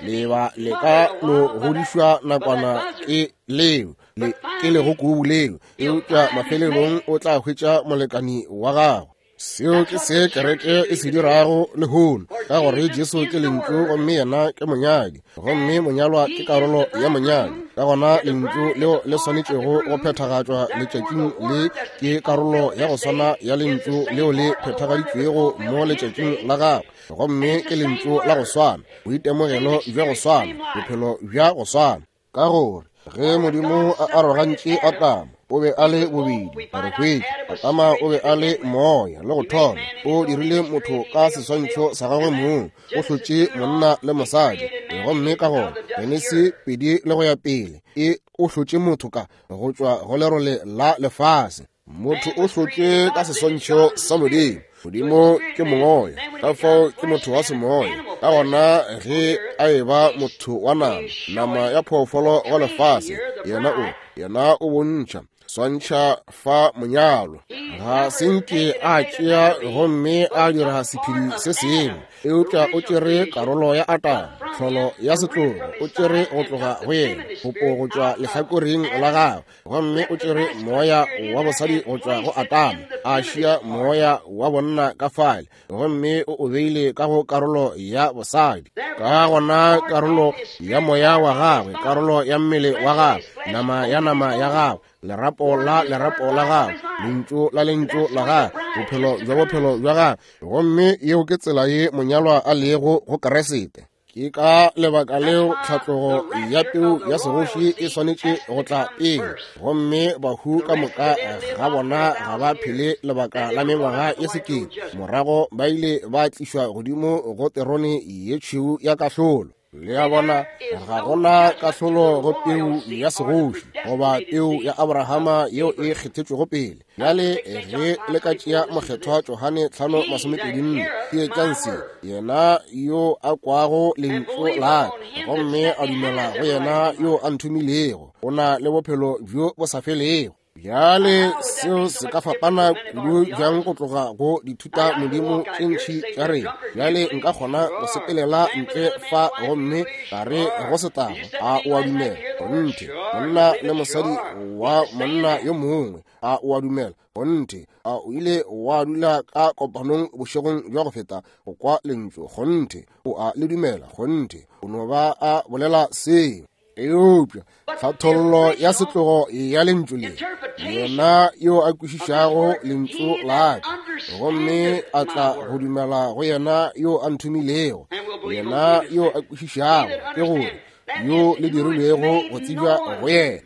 S1: leeba le ka no godišwa nakwana ke leo le ke legokobu leo, eupša mafelelong o tla hwetša molekani wa gagwe. Seo ke se kereke e se dirago lehono, ka gore Jesu ke lentšu gomme yena ke monyadi, gomme monyalwa ke karolo ya monyadi. Ka gona lentšu leo le swanetšego go phethagatšwa letšatšing le ke karolo ya go swana ya lentšu leo le phethagaditšwego mo letšatšing la gagwe, gomme ke lentšu la go swana, boitemogelo bja go swana, bophelo bja go swana. Ka gore ge Modimo a arogantše Adama, o be a le bobedi, re hwetše Adama o be a le moya le go thoma. O dirile motho ka seswantšho sa gagwe mong, o hlotše monna le mosadi, gomme ka gona Genesi pedi le go ya pele e o hlotše motho ka go tšwa go lerole la lefase. Motho o hlotše ka seswantšho sa Modimo. Modimo ke moya, ka fao ke motho wa semoya. Ka gona ge a eba motho wa nama, nama ya phoofolo go lefase, yena o yena o bontšha swantšha fa monyalo. Ga se nke a tšea gomme a dira sephedi se sengwe, eupša o tšere karolo ya Adama, tlholo ya setlogo, o tšere go tloga go yena popo go tšwa lehlakoreng la gagwe, gomme o tšere moya wa bosadi go tšwa go Adama, a šia moya wa bonna ka fale, gomme o o beile ka go karolo ya bosadi. Ka gona karolo ya moya wa gagwe, karolo ya mmele wa gagwe, nama ya nama ya gagwe, lerapo la lerapo la gagwe, lentšu la lentšu la gagwe, bophelo bja bophelo bja gagwe. Gomme yeo ke tsela ye monyalwa a lego go Kriste. Ke ka lebaka leo tlhatlogo ya peu ya segoši e swanetše go tla pele, gomme bahu ka moka ga bona ga ba phele lebaka la mengwaga ye sekete. Morago ba ile ba tlišwa godimo go terone ye tšhweu ya kahlolo. Le a bona, ga gona kahlolo go peu ya segoši goba peu ya Abrahama yeo e kgethetšwego pele. Bjale ge le ka tšea mokgethwa Johane tlhano masomepedi nne, theetšang se, yena yo a kwago lentšu la ka gomme a dumela go yena yo a nthomilego, o na le bophelo bjo bo sa felego. Bjale seo se ka fapana kudu bjang go tloga go dithuta modimo tše ntši tša rena. Bjale nka kgona go sepelela ntle fa gomme ka re go setago, a o a dumela? Kgonthe. Monna le mosadi wa monna yo mongwe, a o a dumela? Kgonthe. A o ile wa dula ka kopanong bošegong bja go feta go kwa lentšu? Kgonthe. O a le dumela? Kgonthe. O no ba a bolela seo. Eupša tlhathollo ya setlogo ya lentšu le, yena yo a kwešišago lentšu la ka gomme a tla go dumela go yena yo a nthomilego, yena yo a kwešišago, ke gore yo le dirilwego go tsebja go yena.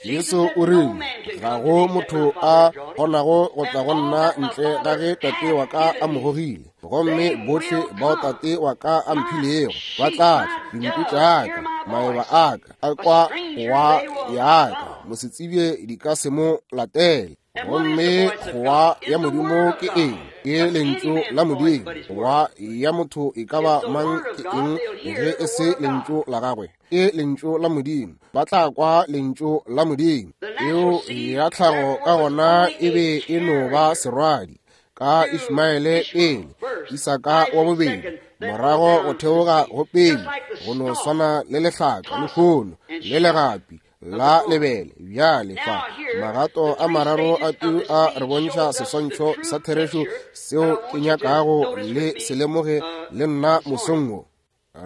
S1: Jesu o rile, ga go motho a kgonago go tla go nna ntle ga ge Tate wa ka a mo gogile, gomme bohle bao Tate wa ka a mphilego ba tla tla. Dinku tša ka, maeba a ka a kwa goa ya ka, mosetsebje di ka se mo latele. Gomme goa ya Modimo ke eng? Ke lentšu la Modimo. Goa ya motho e ka ba mang ke eng ge e se lentšu la gagwe? Ke lentšu la Modimo. Ba tla kwa lentšu la Modimo. Eo ya tlhago ka gona e be e no ba serwadi ka Ishmaele pele, Isaka wa bobedi, morago go theoga go pele, go no swana le lehlaka lehono le legapi la lebele. Bjale fa magato a mararo a peu a re bontšha seswantšho sa therešo seo ke nyakago le se lemoge le nna mosong wo.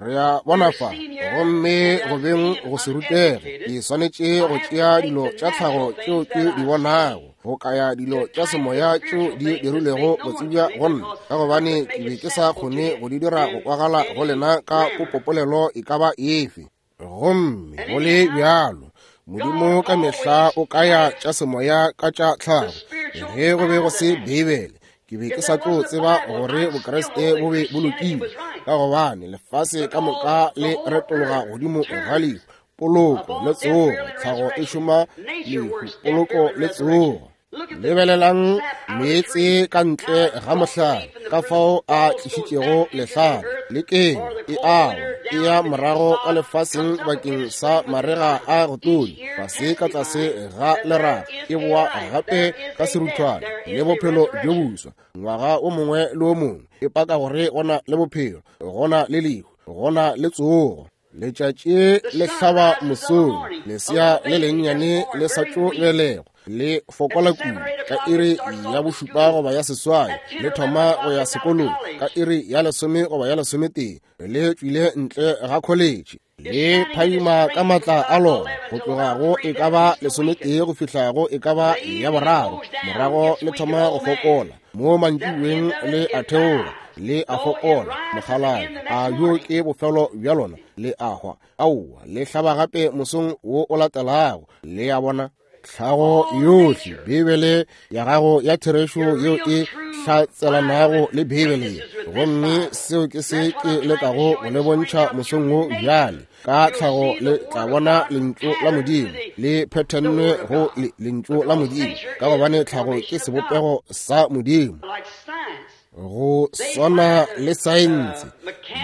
S1: Re a bona fa, gomme go beng go se rutege, ke swanetše go tšea dilo tša tlhago tšeo ke di bonago, go kaya dilo tša semoya tšeo di dirilego go tsebja go nna, ka gobane ke be ke sa kgone go di dira go kwagala go lena ka popopolelo e ka ba efe. Gomme go le bjalo, Modimo ka mehla o kaya tša semoya ka tša tlhago. Ge go be go se Beibele, ke be ke sa tlo tseba gore Bokriste bo be bo lokile, ka gobane lefase ka moka le retologa godimo ga lehu, poloko le tsogo. Tlhago e šoma lehu, poloko le tsogo. Lebelelang meetse ka ntle ga mohlare, ka fao a tlišitšego lehlare le keng e awa e ya morago ka lefaseng bakeng sa marega a go tonya, fase ka tlase ga leraga, e boa gape ka seruthwane le bophelo bjo boswa ngwaga o mongwe le o mongwe, e paka gore gona le bophelo, gona le lehu, gona le tsogo. Letšatši le hlaba mosong, lesea le lennyane le sa tšo belegwa le fokola kudu ka iri ya bošupa goba ya seswai, le thoma go ya sekolong ka iri ya lesome goba ya lesometee, le tšwile ntle ga kholetše, le phadima ka matla a lona go tloga go e ka ba lesometee go fihla go e ka ba ya boraro, morago le thoma go fokola mo mantšiboeng, le a theoga, le a fokola mokgalabje, a yo ke bofelo bja lona, le a hwa. Aowa, le hlaba gape mosong wo o latelago. Le a bona tlhago yohle, Beibele ya gago ya therešo yeo e hlatselanago le Beibele. Gomme seo ke se ke lekago go le bontšha mosong wo bjale. Ka tlhago le tla bona lentšu la Modimo le phethennwe go lentšu la Modimo, ka gobane tlhago ke sebopego sa Modimo. Go swana le saense,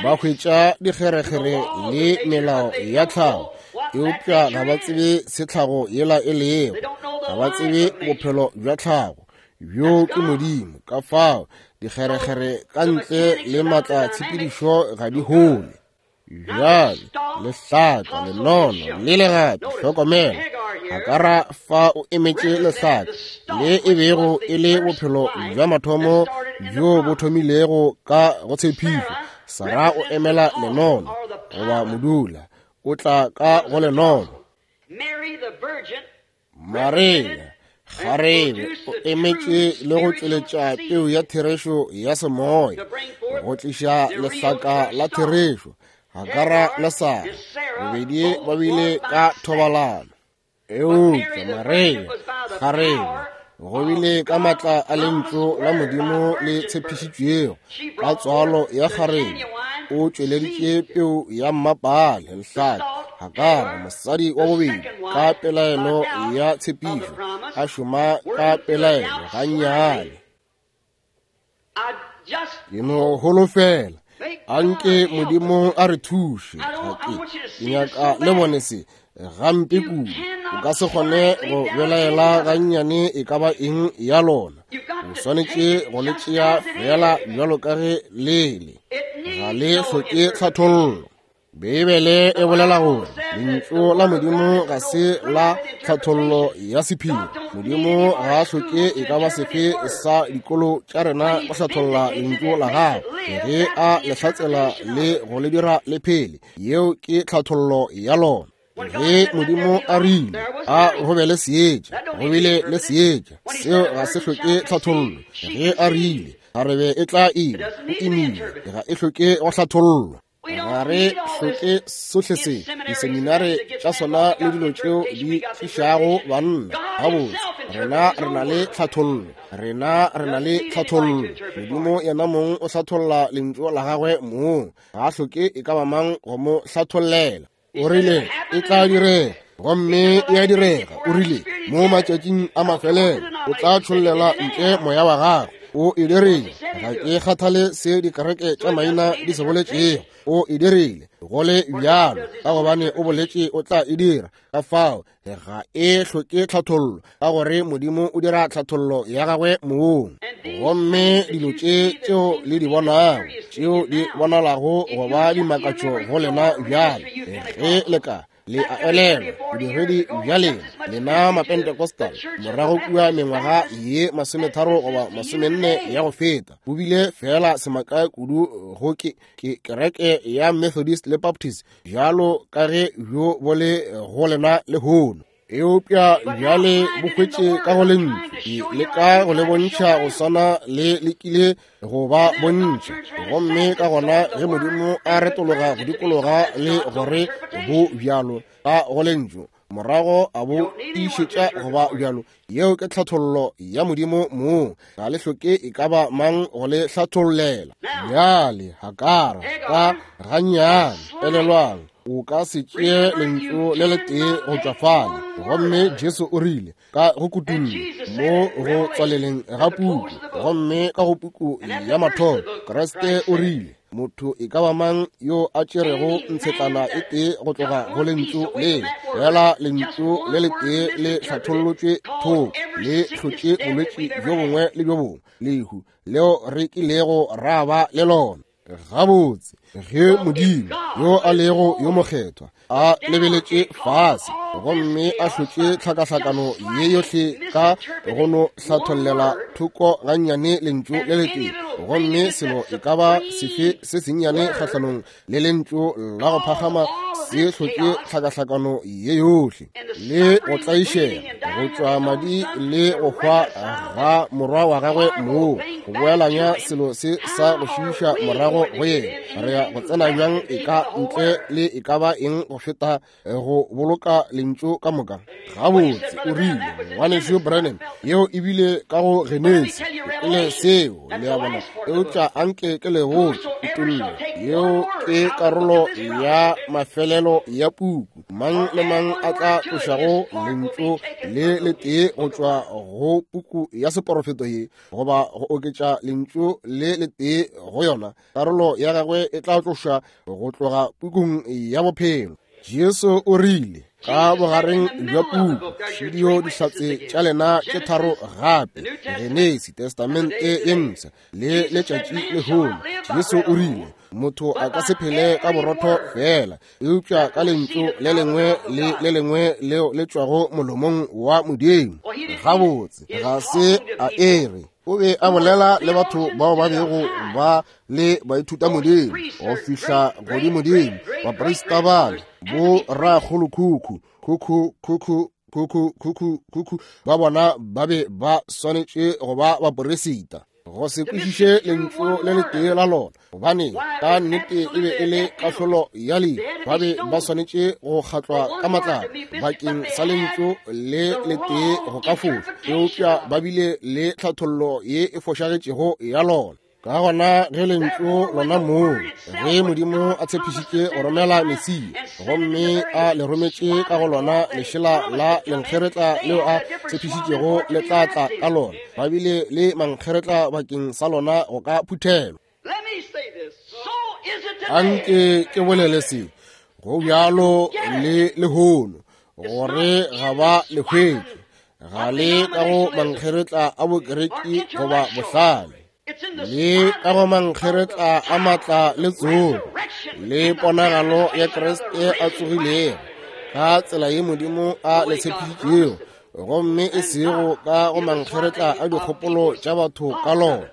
S1: ba hwetša dikgerekgere le melao ya tlhago, eupša ga ba tsebe se tlhago yela e lego, ga ba tsebe bophelo bja tlhago bjo ke Modimo. Ka fao dikgerekgere ka ntle le maatla tshepedišo ga di hole. Bjale lehlaka, lenono le legato, hlokomela. Hakara fa o emetše lehlaka le e bego e le bophelo bja mathomo bjo bo thomilego ka go tshepišo. Sara o emela lenono goba modula, o tla ka go lenono. Maria kgarebe o emetše le go tšweletša peu ya therešo ya semoya, go tliša lehlaka la therešo. Hakara le Sara bobedi ba bile ka thobalano, eupša Maria kgarebe go bile ka matla a lentšu la Modimo le tshepišitšwego ka tswalo ya kgarebe, o tšweleditše peu ya mmapale lehlaka. Hakara mosadi wa bobedi ka pelaelo ya tshepišo, a šoma ka pelaelo gannyane. Ke no holofela anke Modimo a re thuše. Ga ke ke nyaka le bone se gampe kudu. O ka se kgone go belaela gannyane e ka ba eng ya lona. O swanetše go le tšea fela bjalo ka ge le le, ga le hloke tlhathollo. Beibele e bolela gore lentšu la Modimo ga se la tlhathollo ya sephiri. Modimo ga a hloke e ka ba sefe sa dikolo tša rena go hlatholla lentšu la gagwe, ge a le hlatsela le go le dira le phele. Yeo ke tlhathollo ya lona. Ge Modimo a rile a go be le seetša, go bile le seetša, seo ga se hloke tlhathollo. Ge a rile kgarebe e tla ima, o imile, ga e hloke go hlathollwa. Ga re hloke sohle se diseminare tša sona le dilo tšeo di tlišago banna. Gabotse, rena re na le tlhathollo, rena re na le tlhathollo. Modimo yena mong o hlatholla lentšu la gagwe mong, ga a hloke e ka ba mang go mo hlathollela. O rile e tla direga, gomme e a direga. O rile mo matšatšing a mafelelo o tla tšhollela ntle moya wa gagwe. O e dirile. Ga ke kgathale se dikereke tša maina di se boletšego, o e dirile go le bjalo, ka gobane o boletše o tla e dira. Ka fao ga e hloke tlhathollo, ka gore Modimo o dira tlhathollo ya gagwe mong. Gomme dilo tše tšeo le di bonago, tšeo di bonalago go ba dimakatšo go lena bjale, ge le ka Le a elelwa bodiredi bja lena, lena Mapentecostal, morago kua mengwaga ye masometharo goba masomenne ya go feta, bo bile fela semaka kudu go ke, ke kereke ya Methodist le Baptist, bjalo ka ge bjo bo le go lena lehono. Eupša bjale bo hwetše ka go lentšu, le ka go le bontšha go swana le lekile go ba bontšha. Gomme ka gona ge Modimo a retologa go dikologa le gore bo bjalo ka go lentšu, morago a bo tiišetša go ba bjalo. Yeo ke tlhathollo ya Modimo mong, ga le hloke e ka ba mang go le hlathollela. Bjale Hagara ka gannyane, elelwang, o ka se tšee lentšu le letee go tšwa fale. Gomme Jesu o rile ka go kutullo mo go tswaleleng ga puku, gomme ka go puku ya mathomo, Kriste o rile, motho e ka ba mang yo a tšerego ntshetlana e tee go tloga go lentšu le, fela lentšu le letee le hlathollotšwe thoko, le hlotše bolwetši bjo bongwe le bjo bongwe, lehu leo re kilego ra ba le lona. Gabotse, ge Modimo yo a lego yo mokgethwa a lebeletše fase gomme a hlotše tlhakahlakano ye yohle ka go no hlathollela thoko gannyane lentšu le letee, gomme selo e ka ba sefe se sennyane kgahlanong le lentšu la go phagama se hlotše tlhakahlakano ye yohle, le go tlaišega go tšwa madi le go hwa ga morwa wa gagwe moo, go boelanya selo se sa go šiiša morago go yena. Re ya go tsena bjang e ka ntle le e ka ba eng go feta go boloka lentšu ka moka? Gabotse, o rile, ngwanešu Branham, yeo e bile ka go Genesi, e le seo, le a bona. Eupša anke ke le botše kutollo, yeo ke karolo ya mafelelo ya puku. Mang le mang a tla tlošago lentšu le letee go tšwa go puku ya seporofeto ye, goba go oketša lentšu le letee go yona, karolo ya gagwe e tla tlošwa go tloga pukung ya bophelo. Jesu o rile ka bogareng bja puku, šidio dihlatse tša lena tše tharo gape, Genesi, Testamente ye Mpsha le letšatši lehono. Jesu o rile, motho a ka se phele ka borotho fela, eupša ka lentšu le lengwe le le lengwe leo le tšwago molomong wa Modimo. Gabotse, ga se a ere o be a bolela le batho bao ba bego ba le baithuta Modimo go fihla godimodimo, baprista bale, bo rakgolokhukhu, khukhu khukhu khukhu khukhu khukhu ba bona ba be ba swanetše go ba baporesita. Go se kwešiše lentšu le letee la lona, gobane ka nnete e be e le kahlolo ya lehu. Ba be ba swanetše go kgatlwa ka matlapa bakeng sa lentšu le letee go ka foša, eupša ba bile le tlhathollo ye e fošagetšego ya lona. Ka gona ge lentšu lona moo, ge Modimo a tshepišitše go romela Mesia, gomme a le rometše ka go lona lešela la lenkgeretla leo a tshepišitšego le tla tla ka lona, ba bile le mankgeretla bakeng sa lona go ka phuthelwa. Anke ke bolele se, go bjalo le lehono, gore ga ba le hwetše, ga le ka go mankgeretla a bokereki goba bohlale, le ka go mankgeretla a matla le tsogo le ponagalo ya Kriste a tsogilego ka tsela ye Modimo a le tshepišitšego, gomme e sego ka go mankgeretla a dikgopolo tša batho ka lona.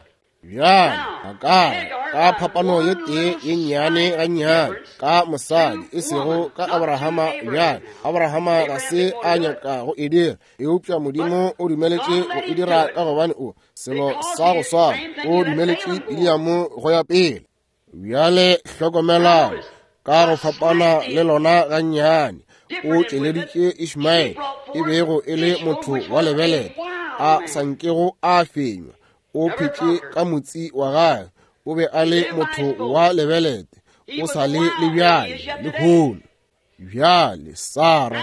S1: Bjale Hagara ka phapano ye tee ye nnyane gannyane ka mosadi, e sego ka Abrahama. Bjale Abrahama ga se a nyaka go e dira, eupša Modimo o dumeletše go e dira ka gobane o selo sa go swana o dumeletše Biliamo go ya pele. Bjale hlokomelang, ka go fapana le lona gannyane, o tšweleditše Ishmael, e bego e le motho wa lebelete a sa nkego a fenywa. O phetše ka motsi wa gagwe, o be a le motho wa lebelete, o sa le le bjale lehono. Bjale Sara,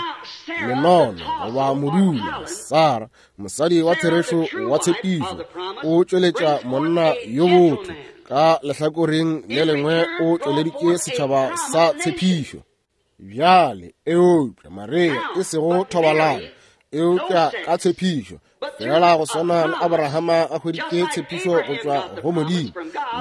S1: lenono goba modula, Sara mosadi wa therešo wa tshepišo, o tšweletša monna yo botho, ka lehlakoreng le lengwe o tšweleditše setšhaba sa tshepišo. Bjale eupša Maria e sego thobalano, eupša ka tshepišo, fela go swana le Abrahama a hweditše tshepišo go tšwa go Modimo,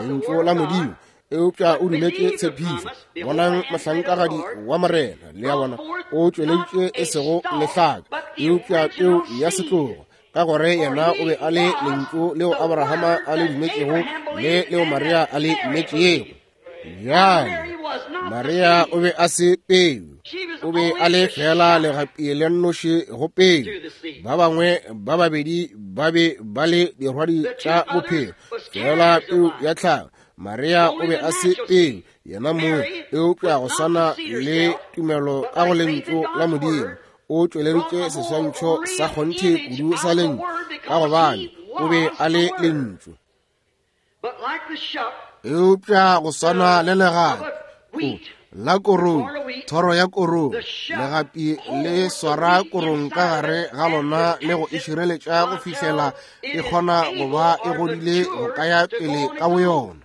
S1: lentšu la Modimo, Eupša o dumetše tshepišo. Bonang mohlankagadi wa Morena, le a bona, o tšweleditše e sego lehlaka, eupša peu ya setlogo, ka gore yena o be a le lentšu leo Abrahama a le dumetšego le leo Maria a le dumetšego. Bjale Maria o be a se peu, o be a le fela legapi le nnoši go peu. Ba bangwe ba babedi ba be ba le dirwadi tša bophelo, fela peu ya tlhago. Maria o be a se peu yena mong, eupša go swana le tumelo ka go lentšu la Modimo, o tšweleditše seswantšho sa kgonthe kudu sa lentšu, ka gobane o be a le lentšu. Eupša go swana le legapi la korong, thoro ya korong, legapi le swara korong ka gare ga lona le go e šireletša go fihlela e kgona go ba e godile go ka ya pele ka boyona.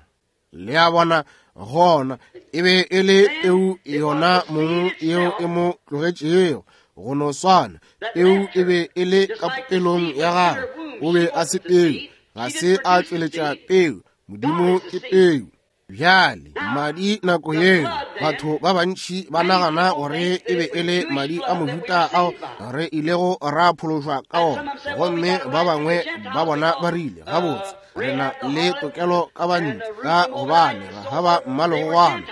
S1: Le a bona, gona e be e le peu yona mong yeo e mo tlogetšego. Go no swana, peu e be e le ka popelong ya gagwe. O be a se peu, ga se a tšweletša peu. Modimo ke peu. Bjale madi nako yeo, batho ba bantši ba nagana gore e be e le madi a mohuta ao re ilego ra phološwa ka ona, gomme ba bangwe ba bona ba rile, gabotse re na le tokelo ka bantle, ka gobane ga ba mmalogwana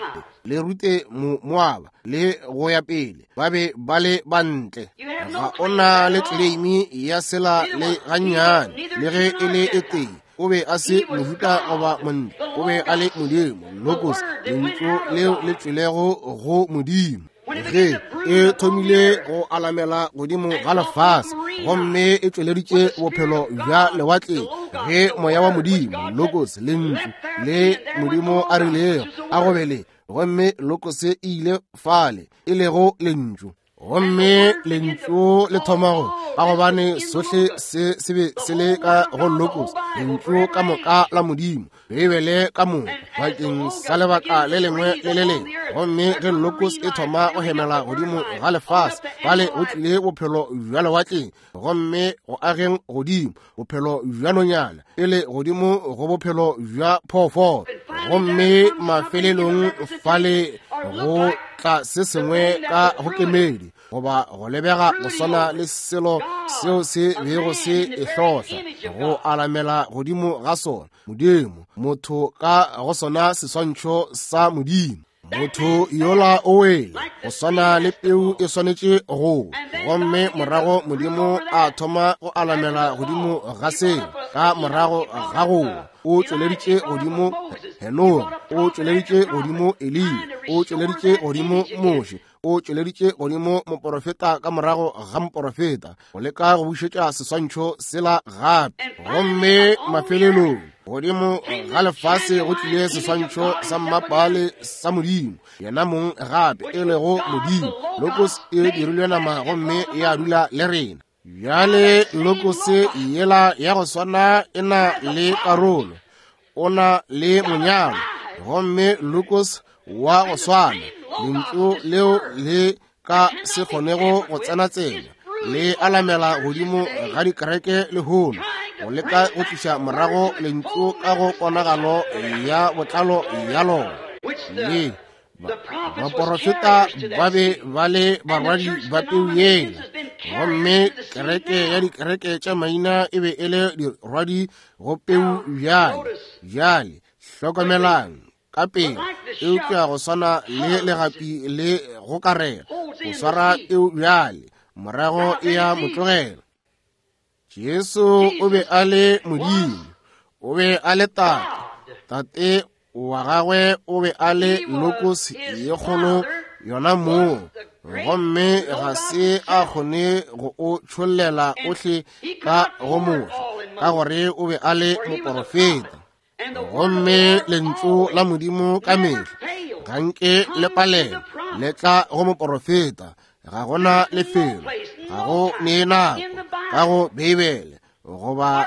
S1: le rute Moaba le go ya pele, ba be ba le bantle. Ga o na le tleleimi ya sela le gannyane, le ge e le e tee. O be a se mohuta goba montle, o be a le Modimo, Logos, lentšu leo le tšwelego go Modimo. Ge e thomile go alamela godimo ga lefase, gomme e tšweleditše bophelo bja lewatleng, ge moya wa Modimo, Logos, lentšu le Modimo a rilego a go be le, gomme Logos e ile fale, e lego lentšu. Gomme lentšu le thomago, ka gobane sohle se se be se le ka go Logos, lentšu ka moka la Modimo, Beibele ka moka, bakeng sa lebaka le lengwe le le lengwe. Gomme ge Logos e thoma go hemela godimo ga lefase, fale go tlile bophelo bja lewatleng, gomme go ageng godimo bophelo bja nonyana, pele godimo go bophelo bja phoofolo, gomme mafelelong fale go tla se sengwe ka go kemedi, goba go lebega go swana le selo seo se bego se e hlohla, go alamela godimo ga sona. Modimo, motho ka go sona seswantšho sa Modimo. Motho yola o wele, go swana le peu e swanetše go. Gomme morago Modimo a thoma go alamela godimo ga seo, ka morago ga go o tšweleditše godimo Henoge, o tšweleditše godimo Eliya, o tšweleditše godimo Moshe, o tšweleditše godimo moporofeta ka morago ga moporofeta, go leka go bušetša seswantšho sela gape. Gomme mafelelong godimo ga lefase go tlile seswantšho sa mmapale sa Modimo, yena mong gape e lego Modimo. Logos e dirilwe nama gomme ya dula le rena. Bjale Logos yela ya go swana e na le karolo, o na le monyalo, gomme Logos wa go swana, lentšu leo le ka se kgonego go tsena tsena, le alamela godimo ga dikereke lehono, go leka go tliša morago lentšu ka go ponagalo ya botlalo ya lona. Le baporofeta ba be ba le barwadi ba peu yela, gomme kereke ya dikereke tša maina e be e le dirwadi go peu bjale. Bjale hlokomelang ka pele, eupša go swana le legapi le go karela, go swara peu bjale, morago e ya motlogela. Jesu o be a le Modimo, o be a le Tate, Tate wa gagwe o be a le Logos ye kgolo yona moo, gomme ga se a kgone go o tšhollela ohle ka go Moshe, ka gore o be a le moporofeta. Gomme lentšu la Modimo ka mehla ga nke le palela, le tla go moporofeta. Ga gona lefelo, ga go nee nako ka go Beibele, goba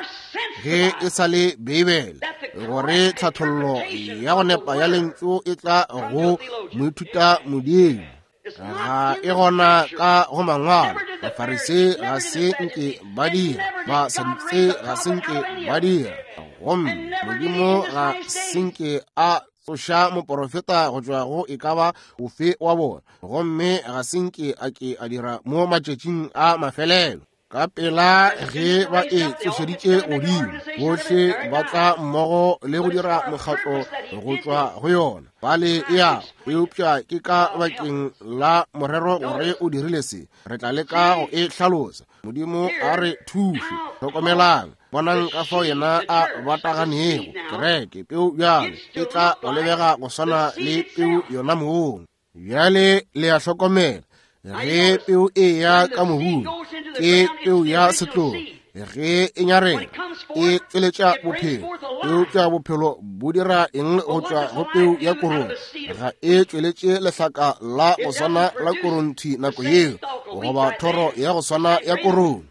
S1: ge e sa le Beibele, gore tlhathollo ya go nepa ya lentšu e tla go moithuta Modimo. Ga e gona ka go mangwalo. Bafarise ga se nke ba dira, Basadutse ga se nke ba dira, gomme Modimo ga se nke a tsoša moporofeta go tšwa go e ka ba ofe wa bona, gomme ga se nke a ke a dira mo matšatšing a mafelelo. Ka pela ge ba e tsošeditše godimo, bohle ba tla mmogo le go dira mokgatlo go tšwa go yona. Bale ya, eupša ke ka bakeng la morero gore o dirile se. Re tla leka go e hlalosa. Modimo a re thuše. Hlokomelang, bonang ka fao yena a bataganego kereke. Peu bjalo e tla go lebega go swana le peu yona mong. Bjale le a hlokomela, ge peu e ya ka mobung, ke peu ya setlogo. Ge e nyarela, e tšweletša bophelo. Eupša bophelo bo dira eng go tšwa go peu ya korong? Ga e tšweletše lehlaka la go swana la korong nako yeo, goba thoro ya go swana ya korong.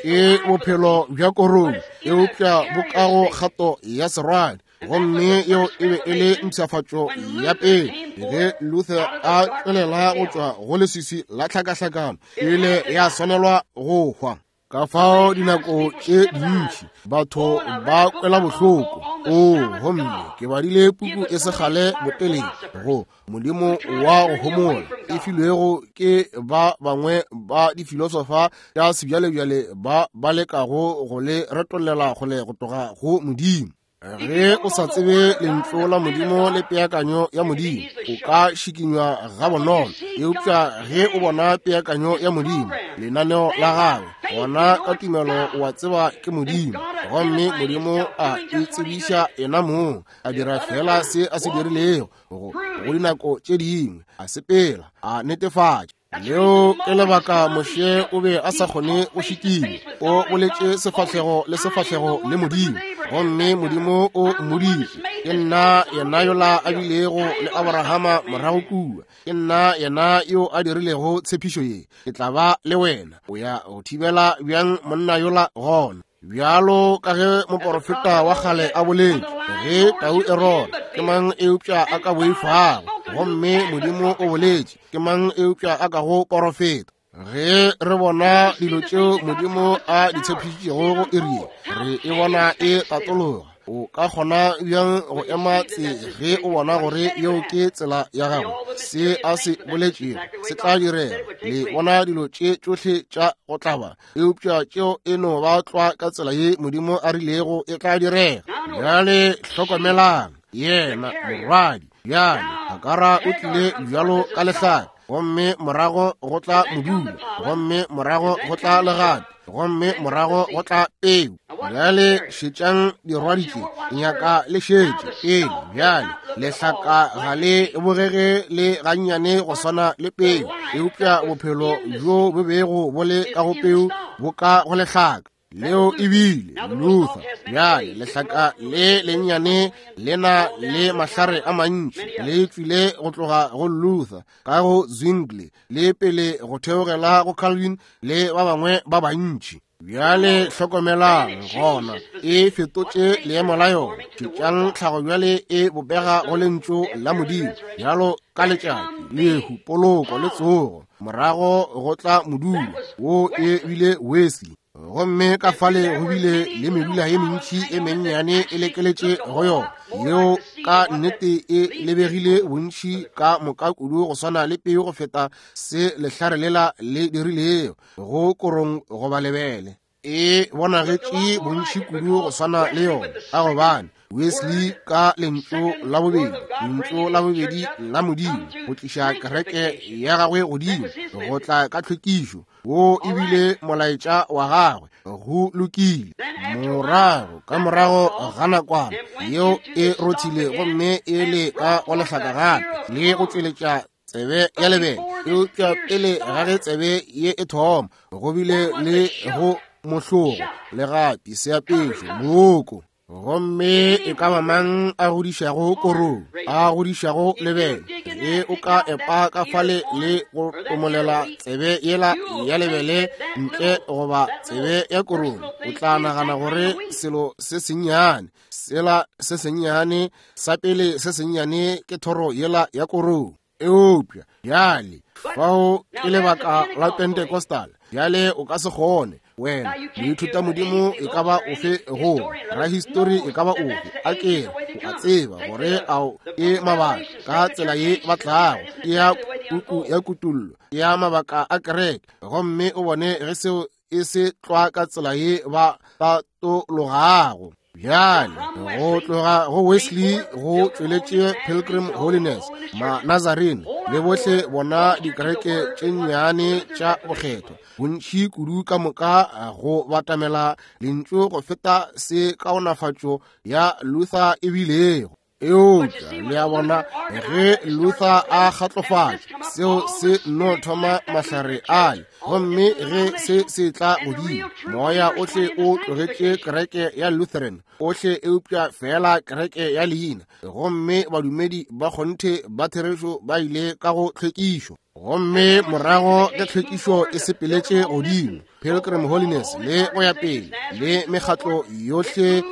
S1: Ke bophelo bja korong, eupša bo ka go kgato ya serwadi. Gomme yeo e be e le mpshafatšo ya pele. Ge Luther a tšwelela go tšwa go leswiswi la tlhakahlakano, e ile ya swanelwa go hwa. Ka fao dinako tše dintši batho ba kwela bohloko. O, gomme ke badile puku e segale botelele go Modimo wa go homola, e filwego ke ba bangwe ba difilosofa tša sebjalebjale ba ba lekago go le retollela kgole go tloga go Modimo. Ge o sa tsebe lentšu la Modimo le peakanyo ya Modimo, o ka šikinywa gabonolo. Eupša ge o bona peakanyo ya Modimo, lenaneo la gagwe, gona ka tumelo o a tseba ke Modimo. Gomme Modimo a itsebiša yena mong, a dira fela se a se dirilego go go dinako tše dingwe, a sepela, a netefatša. Leo ke lebaka Moshe o be a sa kgone go šikinya. O boletše sefahlego le sefahlego le Modimo, gomme Modimo o mmoditše, ke nna yena yola a bilego le Abrahama morago kua. Ke nna yena yo a dirilego tshepišo ye. Ke tla ba le wena. O ya go thibela bjang monna yola gona? Bjalo ka ge moporofeta wa kgale a boletše, ge tau e rora, ke mang eupša a ka boifago? Gomme Modimo o boletše, ke mang eupša a ka go porofeta? Ge re bona dilo tšeo Modimo a di tshepišitšego go iri ye, re e bona e tatologa. O ka kgona bjang go ema tse ge o bona gore yeo ke tsela ya gago? Se a se boletšego se tla direga. Le bona dilo tše tšohle tša go tlaba, eupša tšeo e no ba tlwa ka tsela ye Modimo a rilego e tla direga. Bjale hlokomelang, yena morwadi bjale Hagara o tlile bjalo ka lehlaka, gomme morago go tla modula, gomme morago go tla legapi, gomme morago go tla peu. Bjale šetšang dirwadi tše, nyaka le šetše pele. Bjale lehlaka ga le bogege le gannyane go swana le peu, eupša bophelo bjo bo bego bo le ka go peu bo ka go lehlaka. Leo e bile Luther. Bjale lehlaka le lennyane le na le mahlare a mantši, le tšwile go tloga go Luther ka go Zwingli le pele go theogela go Calvin le ba bangwe ba bantši. Bjale hlokomelang, gona e fetotše leemo la yona. Tšetšang tlhago bjale e bopega go lentšu la Modimo, bjalo ka letšatši, lehu, poloko le tsogo. Morago go tla modula, wo e bile Wesley. Gomme ka fale go bile le medula ye mentši e mennyane e lekeletše go yona, yeo ka nnete e lebegile bontši ka moka kudu go swana le peu go feta se lehlare lela le dirilego go korong goba lebele. E bonagetše bontši kudu go swana le yona, ka gobane Wesley ka lentšu la bobedi, lentšu la bobedi la Modimo, go tliša kereke ya gagwe godimo, go tla ka tlhwekišo, wo e bile molaetša wa gagwe. Go lokile. Morago ka morago ga nakwana yeo e rothile gomme e le ka go lehlaka gape le go tšweletša tsebe ya lebele. Eupša pele ga ge tsebe ye e thoma, go bile le go mohlogo, legapi, seapešo, mooko. Gomme e ka ba mang a godišago korong, a godišago lebele, ge o ka epa ka fale le go tomolela tsebe yela ya lebele ntle goba tsebe ya korong, o tla nagana gore selo se sennyane sela se sennyane sa pele se sennyane ke thoro yela ya korong. Eupša bjale fao ke lebaka la Pentecostal. Bjale o ka se kgone Wena moithutamodimo e ka ba ofe go rahistori e ka ba ofe, a kere o a tseba gore ao ke mabaka ka tsela ye ba tlago, ke ya puku ya Kutullo, ke ya mabaka a kereke, gomme o bone ge seo e se tlwa ka tsela ye ba tatologago. Bjale go tloga go Wesley go tšweletše Pilgrim Holiness, ma-Nazarene le bohle bona dikereke tše nnyane tša bokgethwa, bontši kudu ka moka go batamela lentšu go feta se kaonafatšo ya Luther e bilego. Eupša le a bona, ge Luther a kgatlofatša, seo se no thoma mahlare ale, gomme ge se se tla godimo, moya ohle o tlogetše kereke ya Lutheran ohle eupša fela kereke ya leina, gomme badumedi ba kgonthe ba therešo ba ile ka go tlhwekišo. Gomme morago ke tlhwekišo e sepeletše godimo, Pilgrim Holiness le go ya pele, le mekgatlo yohle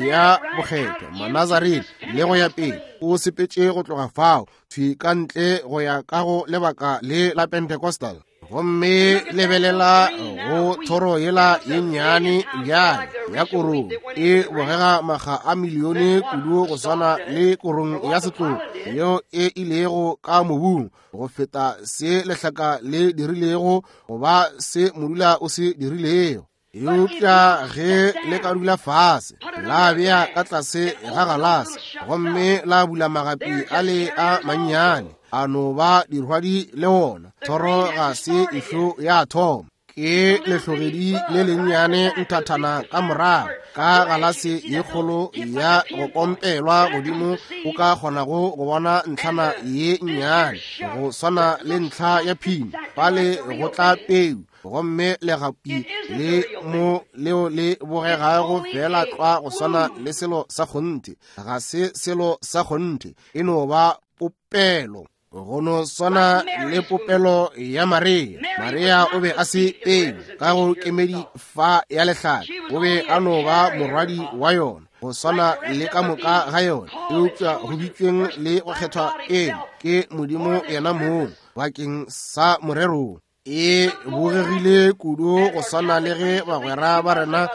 S1: ya bokgethwa, Manazarene le go ya pele, o sepetše go tloga fao thwi ka ntle go ya ka go lebaka le la Pentecostal. Gomme lebelela go thoro yela ye nnyane bjale ya korong, e bogega makga a milione kudu go swana le korong ya setlogo yeo e ilego ka mobung, go feta se lehlaka le dirilego goba se modula o se dirilego. Eupša ge le ka dula fase, la bea ka tlase ga galase, gomme la bula magapi a le a mannyane, a no ba dirwadi le wona, thoro ga se ešo ya thoma. Ke lehlogedi le lennyane nthathana ka morago ka galase ye kgolo ya go kompelwa godimo, o ka kgonago go bona ntlhana ye nnyane go swana le ntlha ya phini, pale go tla peu, gomme legapi le mo leo le bogegago fela tlwa go swana le selo sa kgonthe. Ga se selo sa kgonthe, e no ba popelo, go no swana le popelo ya Maria. Maria o be a se peu ka go kemedi fa ya lehlaka, o be a no ba morwadi wa yona go swana le ka moka ga yona, eupša go bitšweng le go kgethwa pele ke Modimo yena mong bakeng sa morero. E bogegile kudu go swana le ge bagwera ba rena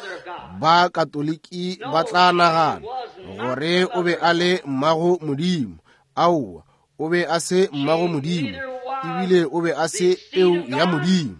S1: ba Katoliki ba tla nagana gore o be a le mmago Modimo. Aowa, o be a se mmago Modimo, ebile o be a se peu ya Modimo.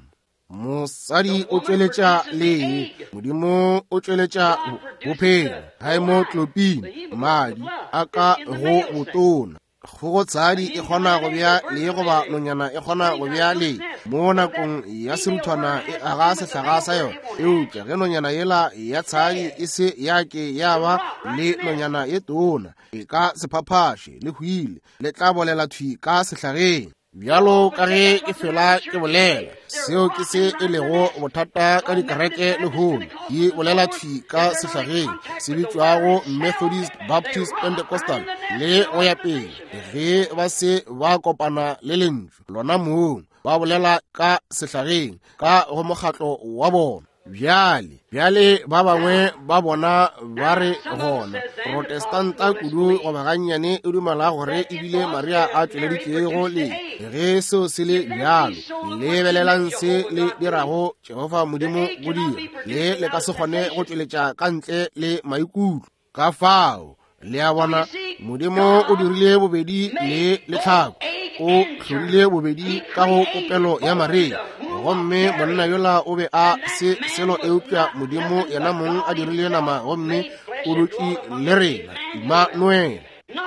S1: Mosadi o tšweletša lee, Modimo o tšweletša bophelo, haemoglobin, madi a ka go botona. Kgogotshadi e kgona go bea lee goba nonyana e kgona go bea lee mo nakong ya seruthwana e aga sehlaga sa yona, eupša ge nonyana yela ya tshadi e se ya ke ya ba le nonyana ye tona, e ka se phaphaše le hwile, le tla bolela thwi ka sehlageng. Bjalo ka ge ke fela ke bolela, seo ke se e lego bothata ka dikereke lehono, di bolela thwi ka sehlageng se bitšwago Methodist, Baptist, Pentecostal le go ya pele. Ge ba se ba kopana le lentšu lona mong, ba bolela ka sehlageng ka go mokgatlo wa bona. Bjale, bjale ba bangwe ba bona ba re gona Protestanta kudu goba gannyane e dumela gore ebile Maria a tšweleditšego le ge seo se le bjalo. Lebelelang se le dirago Jehofa Modimo go dira, le le ka se kgone go tšweletša ka ntle le maikutlo. Ka fao le a bona, Modimo o dirile bobedi le letlhako, o hlodile bobedi ka go popelo ya Maria, gomme monna yola o be a se selo eupša Modimo yena mong a dirile nama gomme o dutše le rena, Immanuel.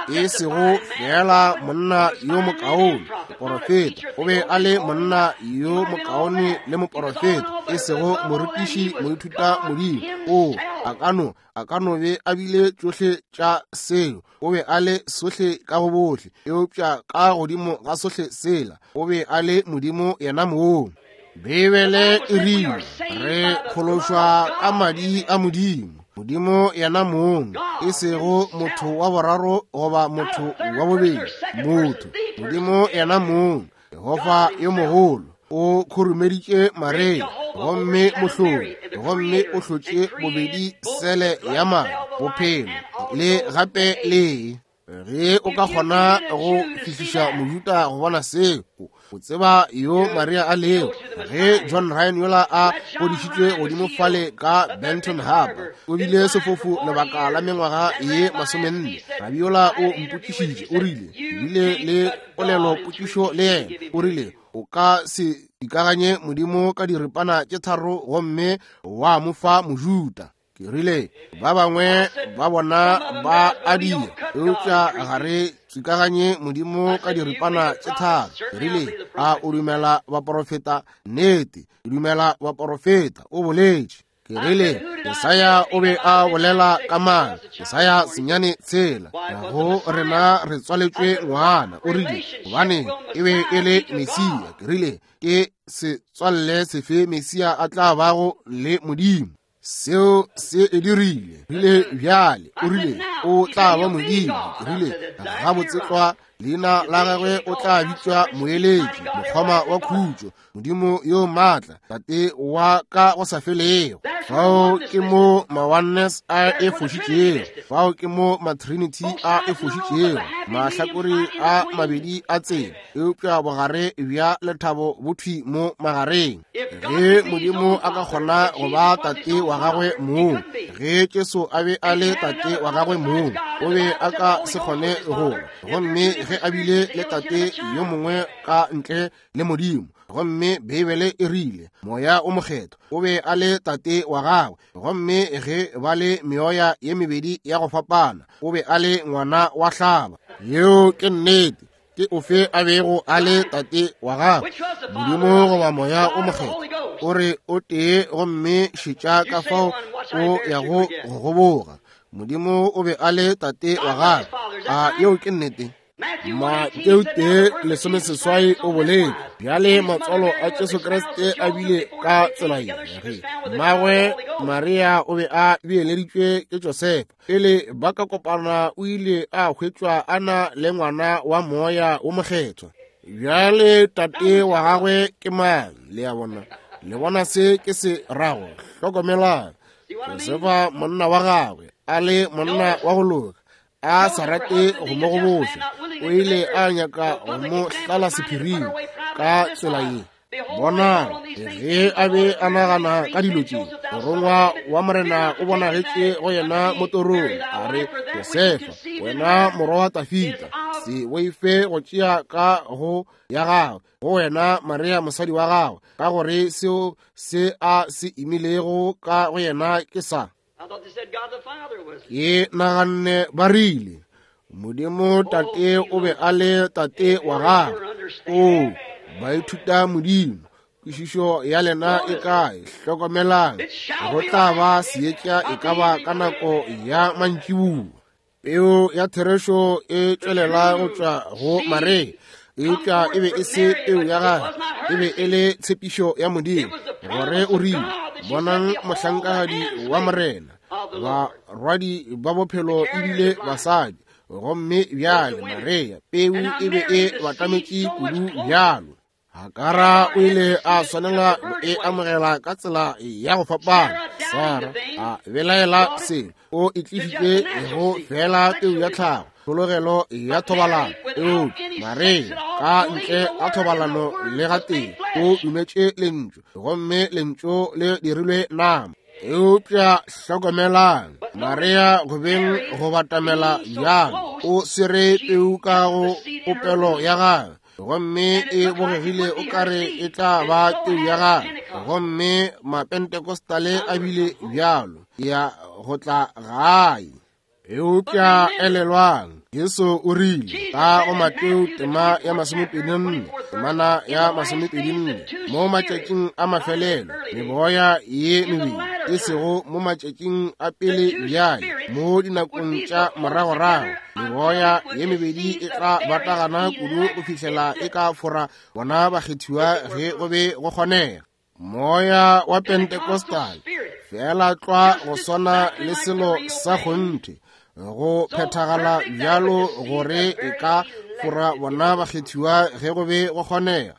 S1: E sego fela monna yo mokaone moporofeta, o be a le monna yo mokaone le moporofeta, e sego morutiši moithuta modimo. O a ka no a ka no be a bile tšohle tša seo, o be a le sohle ka go bohle, eupša ka godimo ga sohle sela o be a le Modimo yena mong. Beibele e rile re phološwa ka madi a Modimo, Modimo yena mong, e sego motho wa boraro goba motho wa bobedi, motho, Modimo yena mong, Jehofa yo mogolo, o khurumeditše Maria gomme mohlodi, gomme o hlotše bobedi sele ya madi, bophelo le gape lee. Ge o ka kgona go fihliša Mojuda go bona seo, O tseba yo Maria a lego. Ge John Ryan yola a godišitšwe godimo fale ka Benton Harbor, o bile sefofu lebaka la mengwaga ye masomenne. Rabi yola o mpotšišitše, o rile, bile le polelo potšišo le yena, o rile, o ka se ikaganye Modimo ka diripana tše tharo gomme wa mo fa Mojuta. Ke rile, ba bangwe ba bona ba a dira, eupša ga re tswikaganye Modimo ka diripana tše tharo. Ke rile, a o dumela baporofeta? Nnete, ke dumela baporofeta, o boletše. Ke rile, Jesaya o be a bolela ka mang? Jesaya senyane tshela. Go rena re tswaletšwe ngwana. O rile, gobane e be e le Mesia. Ke rile, ke setswalle sefe Mesia a tla bago le Modimo? Seo se e dirile. Rile bjale, o rile, o tla ba Modimo. Ke rile, gabotse tlwa, leina la gagwe o tla bitšwa Moeletši, Mokgoma wa Khutšo, Modimo yo maatla, Tate wa ka go sa felego. Fao ke mo ma-Oneness a e fošitšego, fao ke mo ma-Trinity a e fošitšego, mahlakore a mabedi a tsela, eupša bogare bja lethabo bo thwi mo magareng. Ge Modimo a ka kgona go ba Tate wa gagwe mong, ge Jesu a be a le Tate wa gagwe mong, o be a ka se kgone go ba. Gomme ge a bile le Tate yo mongwe ka ntle le Modimo, gomme Beibele e rile Moya o Mokgethwa o be a le Tate wa gagwe, gomme ge ba le meoya ye mebedi ya go fapana, o be a le ngwana wa hlaba. Yeo ke nnete. Ke ofe a bego a le Tate wa gagwe, Modimo goba Moya o Mokgethwa? O re o tee, gomme šetša ka fao o yago go goboga. Modimo o be a le Tate wa gagwe. A yeo ke nnete? Mateo tee lesomeseswai o boletše, bjale matswalo a Jesu Kriste a bile ka tsela ye. Ge mmagwe Maria o be a beeleditšwe ke Josefa, pele ba ka kopana o ile a hwetšwa a na le ngwana wa Moya wo Mokgethwa. Bjale tate wa gagwe ke mang? Le a bona, le bona se ke se rago. Hlokomelang, Josefa monna wa gagwe a le monna wa go loka, a sa rate go mo goboša, o ile a nyaka go mo hlala sephiring ka tsela ye. Bonang, ge a be a nagana ka dilo tše, morongwa wa Morena o bonagetše go yena mo torong, a re, Josefa, wena morwa wa Tafita, se boife go tšea ka go ya gagwe go wena Maria mosadi wa gagwe, ka gore seo se a se imilego ka go yena ke sa. Ke naganne ba rile, Modimo Tate o be a le Tate wa gagwe. O baithuta Modimo, kwešišo ya lena e kae? Hlokomelang, go tla ba seetša e ka ba ka nako ya mantšiboa. Peo ya therešo e tšwelela go tšwa go Maria, eupša e be e se peo ya gagwe, e be e le tshepišo ya Modimo, gore o rile, bonang mohlankagadi wa Morena, barwadi ba bophelo ebile basadi. Gomme bjale Maria, peu e be e batametše kudu bjalo. Hakara o ile a swanela go e amogela ka tsela ya go fapana. Sara a belaela selo, o e tlišitše go fela peu ya tlhago, tlhologelo ya thobalano. Eupša Maria ka ntle ga thobalano le gatee o dumetše lentšu, gomme lentšu le dirilwe nama. Eupša hlokomelang, Maria go beng go batamela bjalo, o swere peu ka go popelo ya gagwe, gomme e bogegile o kare e tla ba peu ya gagwe. Gomme mapentekostale a bile bjalo ya go tla gae. Eupša elelwang, Jesu o rile ka go Mateo tema ya masomepedi nne, temana ya masomepedi nne, mo matšatšing a mafelelo meboya ye mebedi, e sego mo matšatšing a pele bjale, mo dinakong tša moragorago meboya ye mebedi e tla batagana kudu go fihlela e ka fora bona bakgethiwa ge go be go kgonega. Moya wa Pentecostal fela tlwa go swana le selo sa kgonthe, go phethagala bjalo gore e ka fora bona bakgethiwa ge go be go kgonega.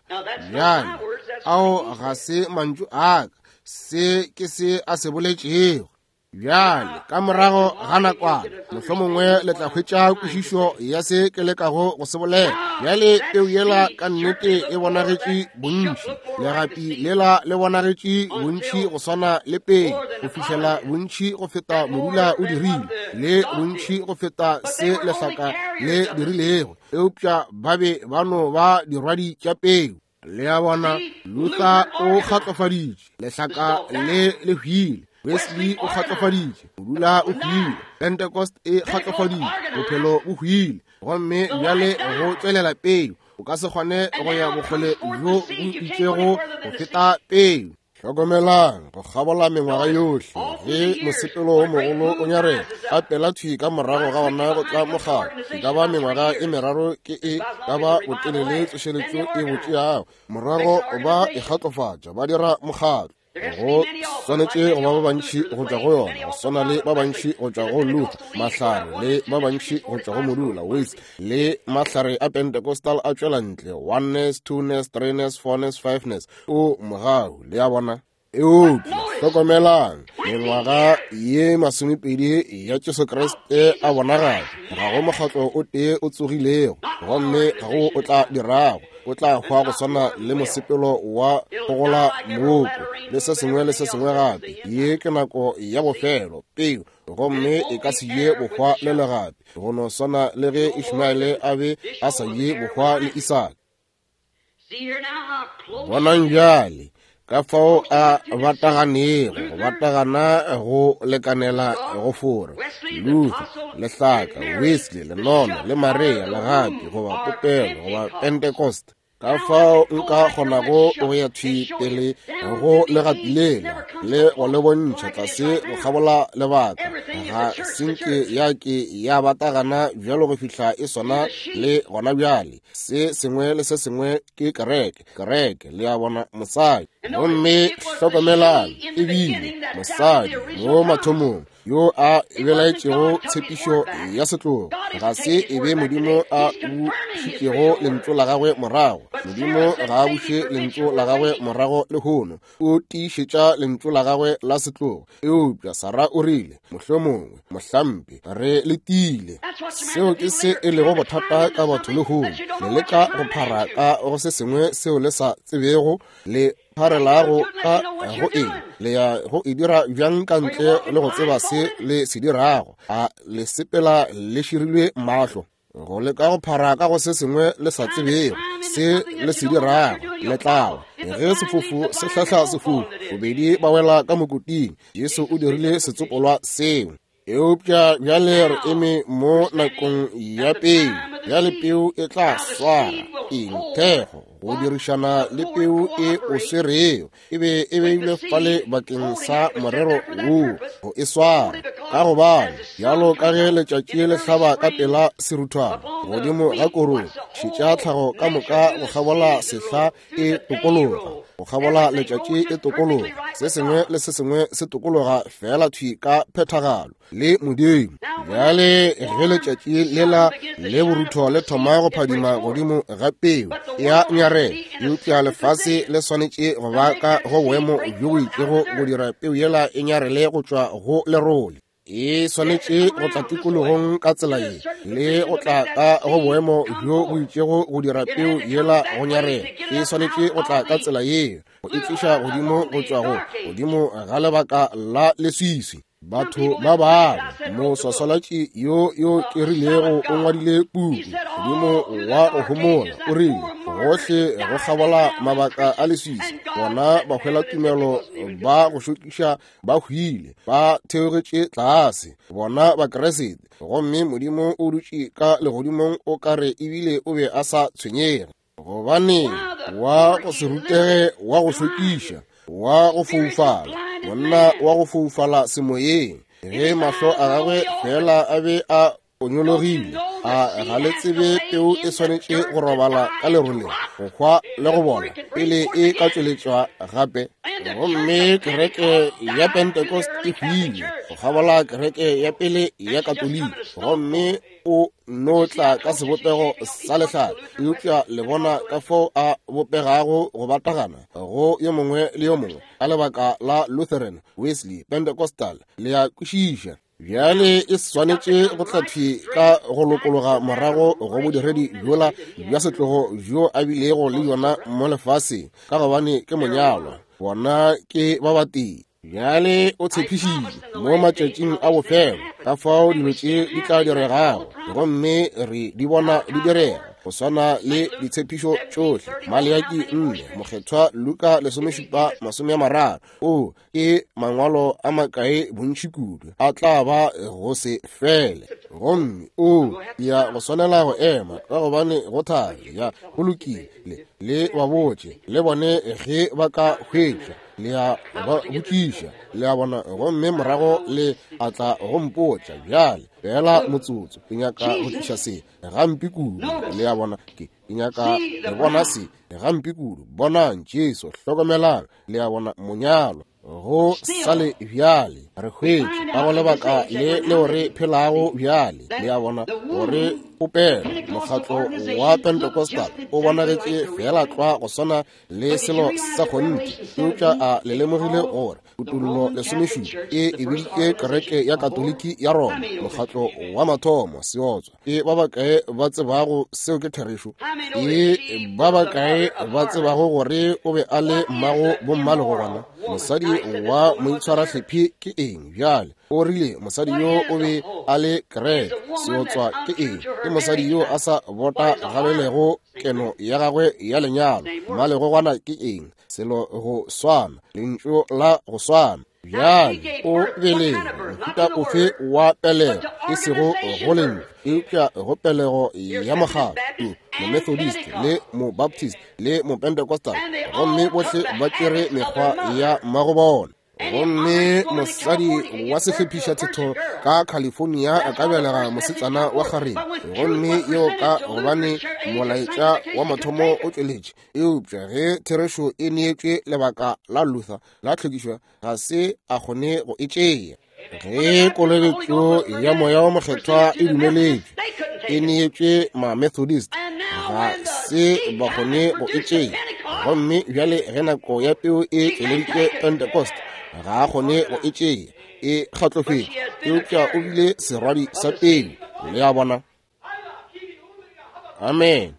S1: Bjale ao ga se mantšu a ka, se ke se a se boletšego. Bjale ka morago ga nakwana mohlomongwe le tla hwetša kwešišo ya se ke lekago go se bolela. Bjale peu yela ka nnete e bonagetše bontši, legapi lela le bonagetše bontši go swana le peu, go fihlela bontši go feta modula o dirile, le bontši go feta se lehlaka le dirilego, eupša ba be ba no ba dirwadi tša peu. Le a bona, Luther o kgatlofaditše, lehlaka le le hwile, Wesley o kgatlofaditše, modula o hwile, Pentecost e kgatlofaditše, bophelo bo hwile, gomme bjale go tšwelela peu. O ka se kgone go ya bokgole bjo bo itšego go feta peu. Hlokomelang go kgabola mengwaga yohle ge mosepelo wo mogolo o nyarela, ka pela thwi ka morago ga ona go tla mokgatlo. E ka ba mengwaga e meraro ke e ka ba botelele tsošeletšo e bo tšeago, morago ba e kgatlofatša ba dira mokgatlo. Go swanetše go ba ba bantši go tšwa go yona, go swana le ba bantši go tšwa go Luther, mahlare, le ba bantši go tšwa go modula, Wesley, le mahlare a Pentecostal a tšwela ntle, oneness, twoness, threeness, fourness, fiveness, o mogau, le a bona. Eupša hlokomelang, mengwaga ye masomepedi ya Jesu Kriste a bonagala, ga go mokgatlo o tee o tsogilego, gomme ga go o tla dirago, o tla hwa go swana le mosepelo wa gogola mooko le se sengwe le se sengwe gape. Ye ke nako ya bofelo, peu, gomme e ka se ye bohwa le legapi, go no swana le ge Ishmaele a be a sa ye bohwa le Isaka. Bonang bjale ka fao a bataganego, go batagana go lekanela go fora. Luther, lehlaka, Wesley, lenono, le Maria, legapi, goba popelo, goba Pentecost. Ka fao nka kgonago go ya thwi pele go legapi lela le go le bontšha tlase go kgabola lebaka, ga senke ya ke ya batagana bjalo go fihla e swana le gona bjale. Se sengwe le se sengwe ke kereke, kereke, le a bona, mosadi. Gomme hlokomelang, ebile mosadi mo mathomong yo a belaetšego tshepišo ya setlogo, ga se e be Modimo a bušitšego lentšu la gagwe morago. Modimo ga a buše lentšu la gagwe morago lehono, o tiišetša lentšu la gagwe la setlogo. Eupša Sara o rile, mohlomongwe, mohlampe, re letile. Seo ke se e lego bothata ka batho lehono, le leka go phara ka go se sengwe seo le sa tsebego le pharelago ka go eng, le ya go e dira bjang ka ntle le go tseba se le se dirago. A le sepela le širilwe mahlo go leka go phara ka go se sengwe le sa tsebego se le se dirago, le tlawa. Ge sefofu se hlahla sefofu, bobedi ba wela ka mokoting. Jesu o dirile setsopolwa seo. Eupša bjale re eme mo nakong ya peu. Bjale peu e tla swara eng? Thekgo, go dirišana le peu e o swerego, e be e beilwe fale bakeng sa morero woo, go e swara. Ka gobane bjalo ka ge letšatši le hlaba ka pela seruthwana godimo ga korong, šetša tlhago ka moka go kgabola sehla e tokologa, go kgabola letšatši e tokologa, se sengwe le se sengwe se tokologa fela thwi ka phethagalo le Modimo. Bjale ge letšatši lela le borutho le thoma go phadima godimo ga peu ya nyarela, eupša lefase le swanetše go ba ka go boemo bjo bo itšego go dira peu yela e nyarele go tšwa go lerole. E swanetše go tla tikologong ka tsela ye, le go tla ka go boemo bjo bo itšego go dira peu yela go nyarela. E swanetše go tla ka tsela ye, go e tliša godimo go tšwa go godimo ga lebaka la leswiswi. Batho ba bangwe, moswaswalatši yo yo ke rilego o ngwadile puku godimo wa go homola, o rile gohle go kgabola mabaka a leswiswi, bona ba hwela tumelo ba go šokiša ba hwile, ba theogetše tlase, bona ba Kriste. Gomme Modimo o dutše ka legodimong o kare ebile o be a sa tshwenyege, gobane wa go se rutege, wa go šokiša, wa go foufala, monna wa go foufala semoyeng, ge mahlo a gagwe fela a be a o nyologile. A ga le tsebe peu e swanetše go robala ka leroleng, go hwa le go bola pele e ka tšweletšwa gape? Gomme kereke ya Pentecost e hwile go kgabola kereke ya pele ya Katoliki, gomme o no tla ka sebopego sa lehlare. Eupša le bona ka fao a bopegago go batagana go yo mongwe le yo mongwe ka lebaka la Lutheran, Wesley, Pentecostal. Le a kwešiša? Bjale e swanetše go tla thwi ka go lokologa morago go bodiredi bjola bja setlogo bjo a bilego le yona mo lefaseng, ka gobane ke monyalwa, bona ke ba batee. Bjale o tshepišitše mo matšatšing a bofelo ka fao dilo tše di tla diregago, gomme re di bona di direga go swana le ditshepišo tšohle. Maleaki nne, Mokgethwa Luka lesomešupa masome a mararo. O ke mangwalo a makae bontši kudu a tla ba go se fele. Gomme o ya go swanela go ema ka gobane go thari. Ya go lokile, le ba botše le bone ge ba ka hwetša, le a ba botšiša, le a bona, gomme morago le a tla go mpotša. Bjale fela motsotso, ke nyaka go tliša se gampe kudu. Le a bona, ke nyaka le bona se gampe kudu. Bonang Jesu, hlokomelang, le a bona, monyalo go sale bjale re hwetše ka go lebaka le leo re phelago bjale. Le a bona gore popelo mokgatlo wa Pentecostal o bonagetše fela tlwa go swana le selo sa kgonthe, eupša a le lemogile gore kutullo lesomešupa e e biditše kereke ya Katoliki ya Roma mokgatlo wa mathomo seotswa. Ke ba bakae ba tsebago seo ke therešo? Ke ba bakae ba tsebago gore o be a le mmago bommalegogwana? Mosadi wa moitshwarahlephi ke eng? Bjale o rile mosadi yo o be a le kereke. Seotswa ke eng? Ke mosadi yo a sa botagalelego keno ya gagwe ya lenyalo. Mmalegogwana ke eng? Selo go swana, lentšu la go swana. Bjale o belege mohuta ofe wa pelego, e sego go lentšu, eupša go pelego ya mokgatlo, Momethodist le Mobaptist le Mopentecostal, gomme bohle ba tšere mekgwa ya mmagobona. Gomme mosadi wa sehlephišathetho ka California a ka belega mosetsana wa kgarebe, gomme yeo ka gobane molaetša wa mathomo o tšweletše. Eupša ge therešo e neetšwe lebaka la Luther la tlhwekišo, ga se a kgone go e tšea. Ge kolobetšo ya moya wa mokgethwa e dumeletšwe, e neetšwe ma-Methodist, ga se ba kgone go e tšea. Gomme bjale ge nako ya peu e tšweleditše Pentecost, ga a kgone go e tšea, e kgatlofetše. Eupša o bile serwadi sa peu. Le a bona? Amen.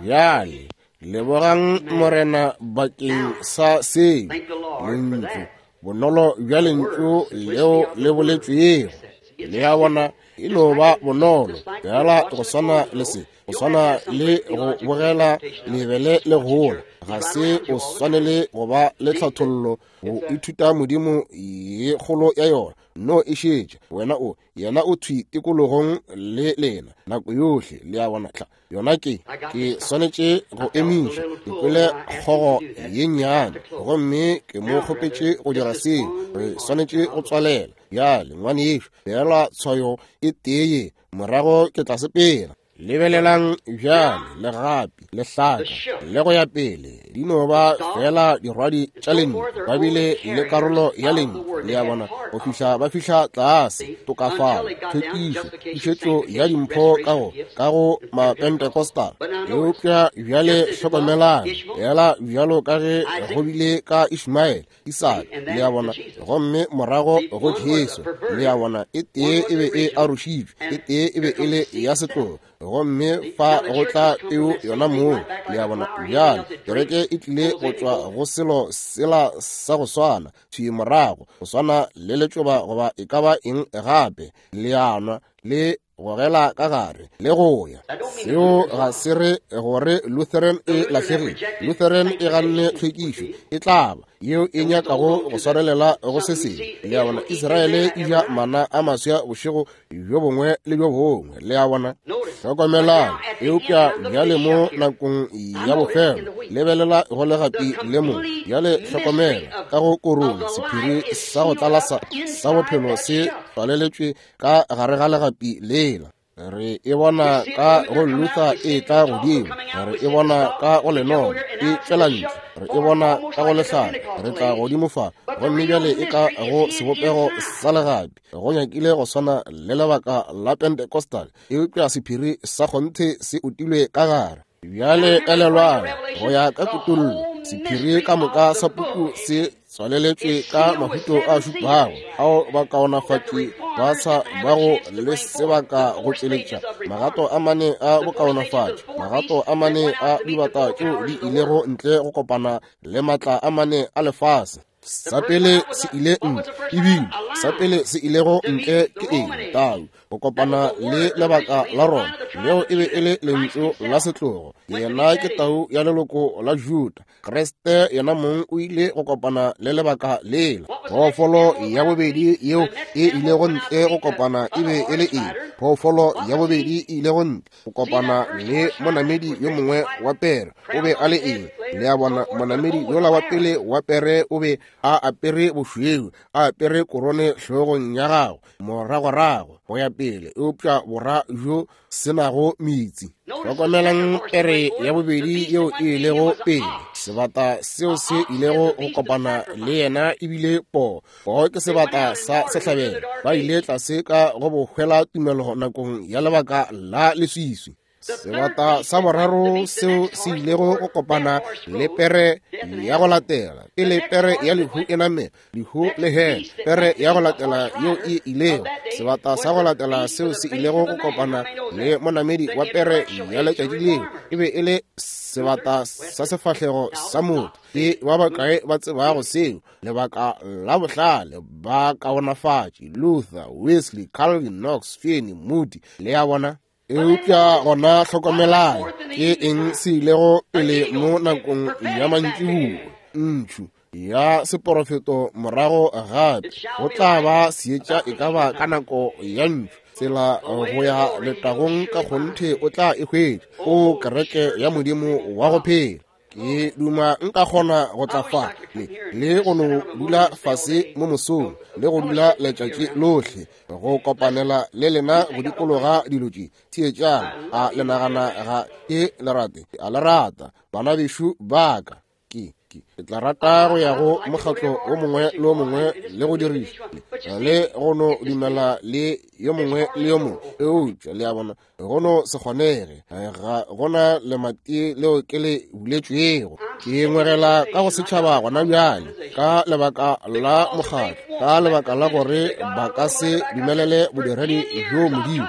S1: Bjale lebogang Morena bakeng sa seo, lentšu, bonolo bja lentšu leo le boletšwego. Le a bona, e no ba bonolo fela go swana le se, go swana le go bogela lebele le gola. Ga se o swanele go ba le tlhathollo go ithuta Modimo ye kgolo ya yona. No e šetše wena o yena o thwi tikologong le lena nako yohle. Le a bona? Tla yona ke ke swanetše go emiša. Ke kwele kgogo ye nnyane, gomme ke mo kgopetše go dira seo. Re swanetše go tswalela bjale, ngwanešo. Fela tshwayo e tee, morago ke tla sepela. Lebelelang bjale, legapi, lehlaka le go ya pele di no ba fela dirwadi tša lentšu, ba bile le karolo ya lentšu. Le a bona, go fihla ba fihla tlase tokafalo, tlhwekišo, pušetšo ya dimpho ka go ka go Mapentecostal. Eupša bjale hlokomelang, fela bjalo ka ge go bile ka Ishmael, Isaka, le a bona, gomme morago go Jesu. Le a bona, e tee e be e arošitšwe, e tee e be e le ya setlogo, gomme fa go tla peu yona moo. Le a bona? Bjale kereke e tlile go tšwa go selo sela sa go swana thwi morago, go swana le letšoba goba e ka ba eng gape. Le a nwa le gogela ka gare le go ya. Seo ga se re gore Lutheran e lahlegile. Lutheran e ganne tlhwekišo, e tla ba yeo e nyakago go swarelela go se sengwe. Le a bona, Israele e ja mana a maswa bošego bjo bongwe le bjo bongwe. Le a bona? Hlokomelang. Eupša bjale mo nakong ya bofelo, lebelela go legapi le mo. Bjale hlokomela ka go korong, sephiri sa go tlala sa, sa bophelo se tswaleletšwe ka gare ga legapi lela. Re e bona ka go Luther e tla godimo, re e bona ka go lenong e tšwela ntle, re e bona ka go lehlare, re tla godimo fa, gomme bjale e ka go sebopego sa legapi, go nyakile go swana le lebaka la Pentecostal, eupša sephiri sa kgonthe se utilwe ka gare. Bjale elelwang, go ya ka kutollo, sephiri ka moka sa puku se tswaleletšwe ka mahuto a šupago ao bakaonafatši ba sa bago le sebaka go tšweletša magato a mane a bokaonafatši, magato a mane a dibata tšeo di ilego ntle go kopana le matla a mane a lefase. Sa pele se ile ntle, ebile sa pele se ilego ntle ke eng? Tau, go kopana le lebaka la Roma, leo e be e le lentšu la setlogo. Yena ke tau ya leloko la Juda. Kriste yena mong o ile go kopana le lebaka lela. Phoofolo ya bobedi yeo e ilego ntle go kopana e be e le eng? Phoofolo ya bobedi e ilego ntle go kopana le monamedi yo mongwe wa pere o be a le eng? Le a bona, monamedi yola wa pele wa pere o be a apere bošweu, a apere korone hlogong ya gagwe, moragorago go ya pele, eupša bora bjo se nago metsi. Hlokomelang pere ya bobedi yeo e ilego pele, sebata seo se ilego go kopana le yena ebile poo. Poo ke sebata sa sehlabelo. Ba ile tlase ka go bohwela tumelo nakong ya lebaka la leswiswi. Sebata sa boraro seo se ilego go kopana le pere ya go latela, pele pere ya lehu e namela, lehu le hela, pere ya go latela yeo e ilego, sebata sa go latela seo se ilego go kopana le monamedi wa pere ya letšatši leo e be e le sebata sa sefahlego sa motho. Ke ba bakae ba tsebago seo? Lebaka la bohlale, ba kaonafatši, Luther, Wesley, Calvin, Knox, Finney, Moody, le a bona. Eupša gona hlokomelang, ke eng se ilego pele mo nakong ya mantšiboa? Ntšhu ya seporofeto morago gape. Go tla ba seetša e ka ba ka nako ya ntšhu. Tsela go ya letagong ka kgonthe o tla e hwetša, o kereke ya Modimo wa go phela. Ke duma nka kgona go tla fa le, le go no dula fase mo mosong le go dula letšatši lohle go kopanela le lena go dikologa dilo tše. Theetšang, a le nagana ga ke le rate? A le rata, bana bešo ba ka? Ke ke tla rata go ya go mokgatlo o mongwe le o mongwe le go diriša le go no dumela le yo mongwe le yo mongwe, eupša le a bona go no se kgonege, ga gona lemati leo ke le buletšwego. Ke ngwegela ka go setšhaba gona bjale ka lebaka la mokgatlo, ka lebaka la gore ba ka se dumelele bodiredi bjo Modimo.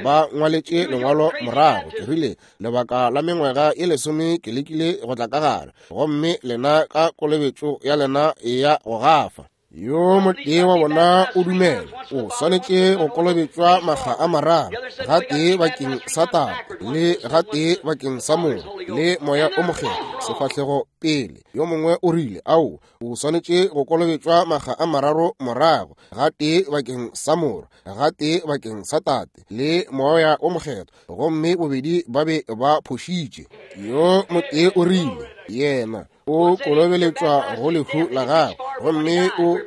S1: Ba ngwaletše lengwalo morago, ke rile lebaka la mengwaga e lesome ke lekile go tla ka gare, gomme lena ka kolobetšo ya lena ya go gafa. Yo motee wa bona o dumela o swanetše go kolobetšwa makga a mararo, gatee bakeng sa Tate, le gatee bakeng sa Morwa, le Moya o Mokgethwa, sefahlego pele. Yo mongwe o rile, ao, o swanetše go kolobetšwa makga a mararo morago, gatee bakeng sa Morwa, gatee bakeng sa Tate, le Moya o Mokgethwa, gomme bobedi ba be ba phošitše. Yo motee o rile, yena o kolobeletšwa go lehu la gagwe, gomme o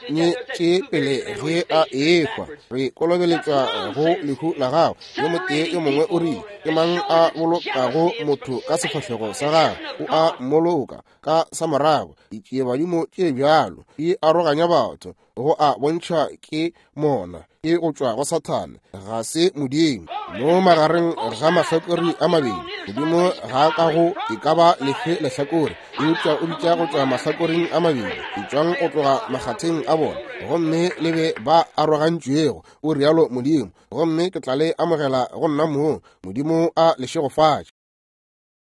S1: unyetše pele ge a ehwa. Re kolobeletšwa go lehu la gagwe. Yo motee yo mongwe o rile, ke mang a bolokago motho ka sefahlego sa gagwe? O a mmoloka ka sa morago. Ditšiebadimo tše bjalo di aroganya batho, go a bontšha ke mona, ke go tšwa go Sathane, ga se Modimo. Mo magareng ga mahlakore a mabedi, Modimo ga a ka go e ka ba lefe lehlakore, eupša o bitša go tšwa mahlakoreng a mabedi, etšwang go tloga makgatheng a bona, gomme le be ba arogantšwego, o rialo Modimo, gomme ke tla le amogela go nna mong. Modimo a le šegofatše.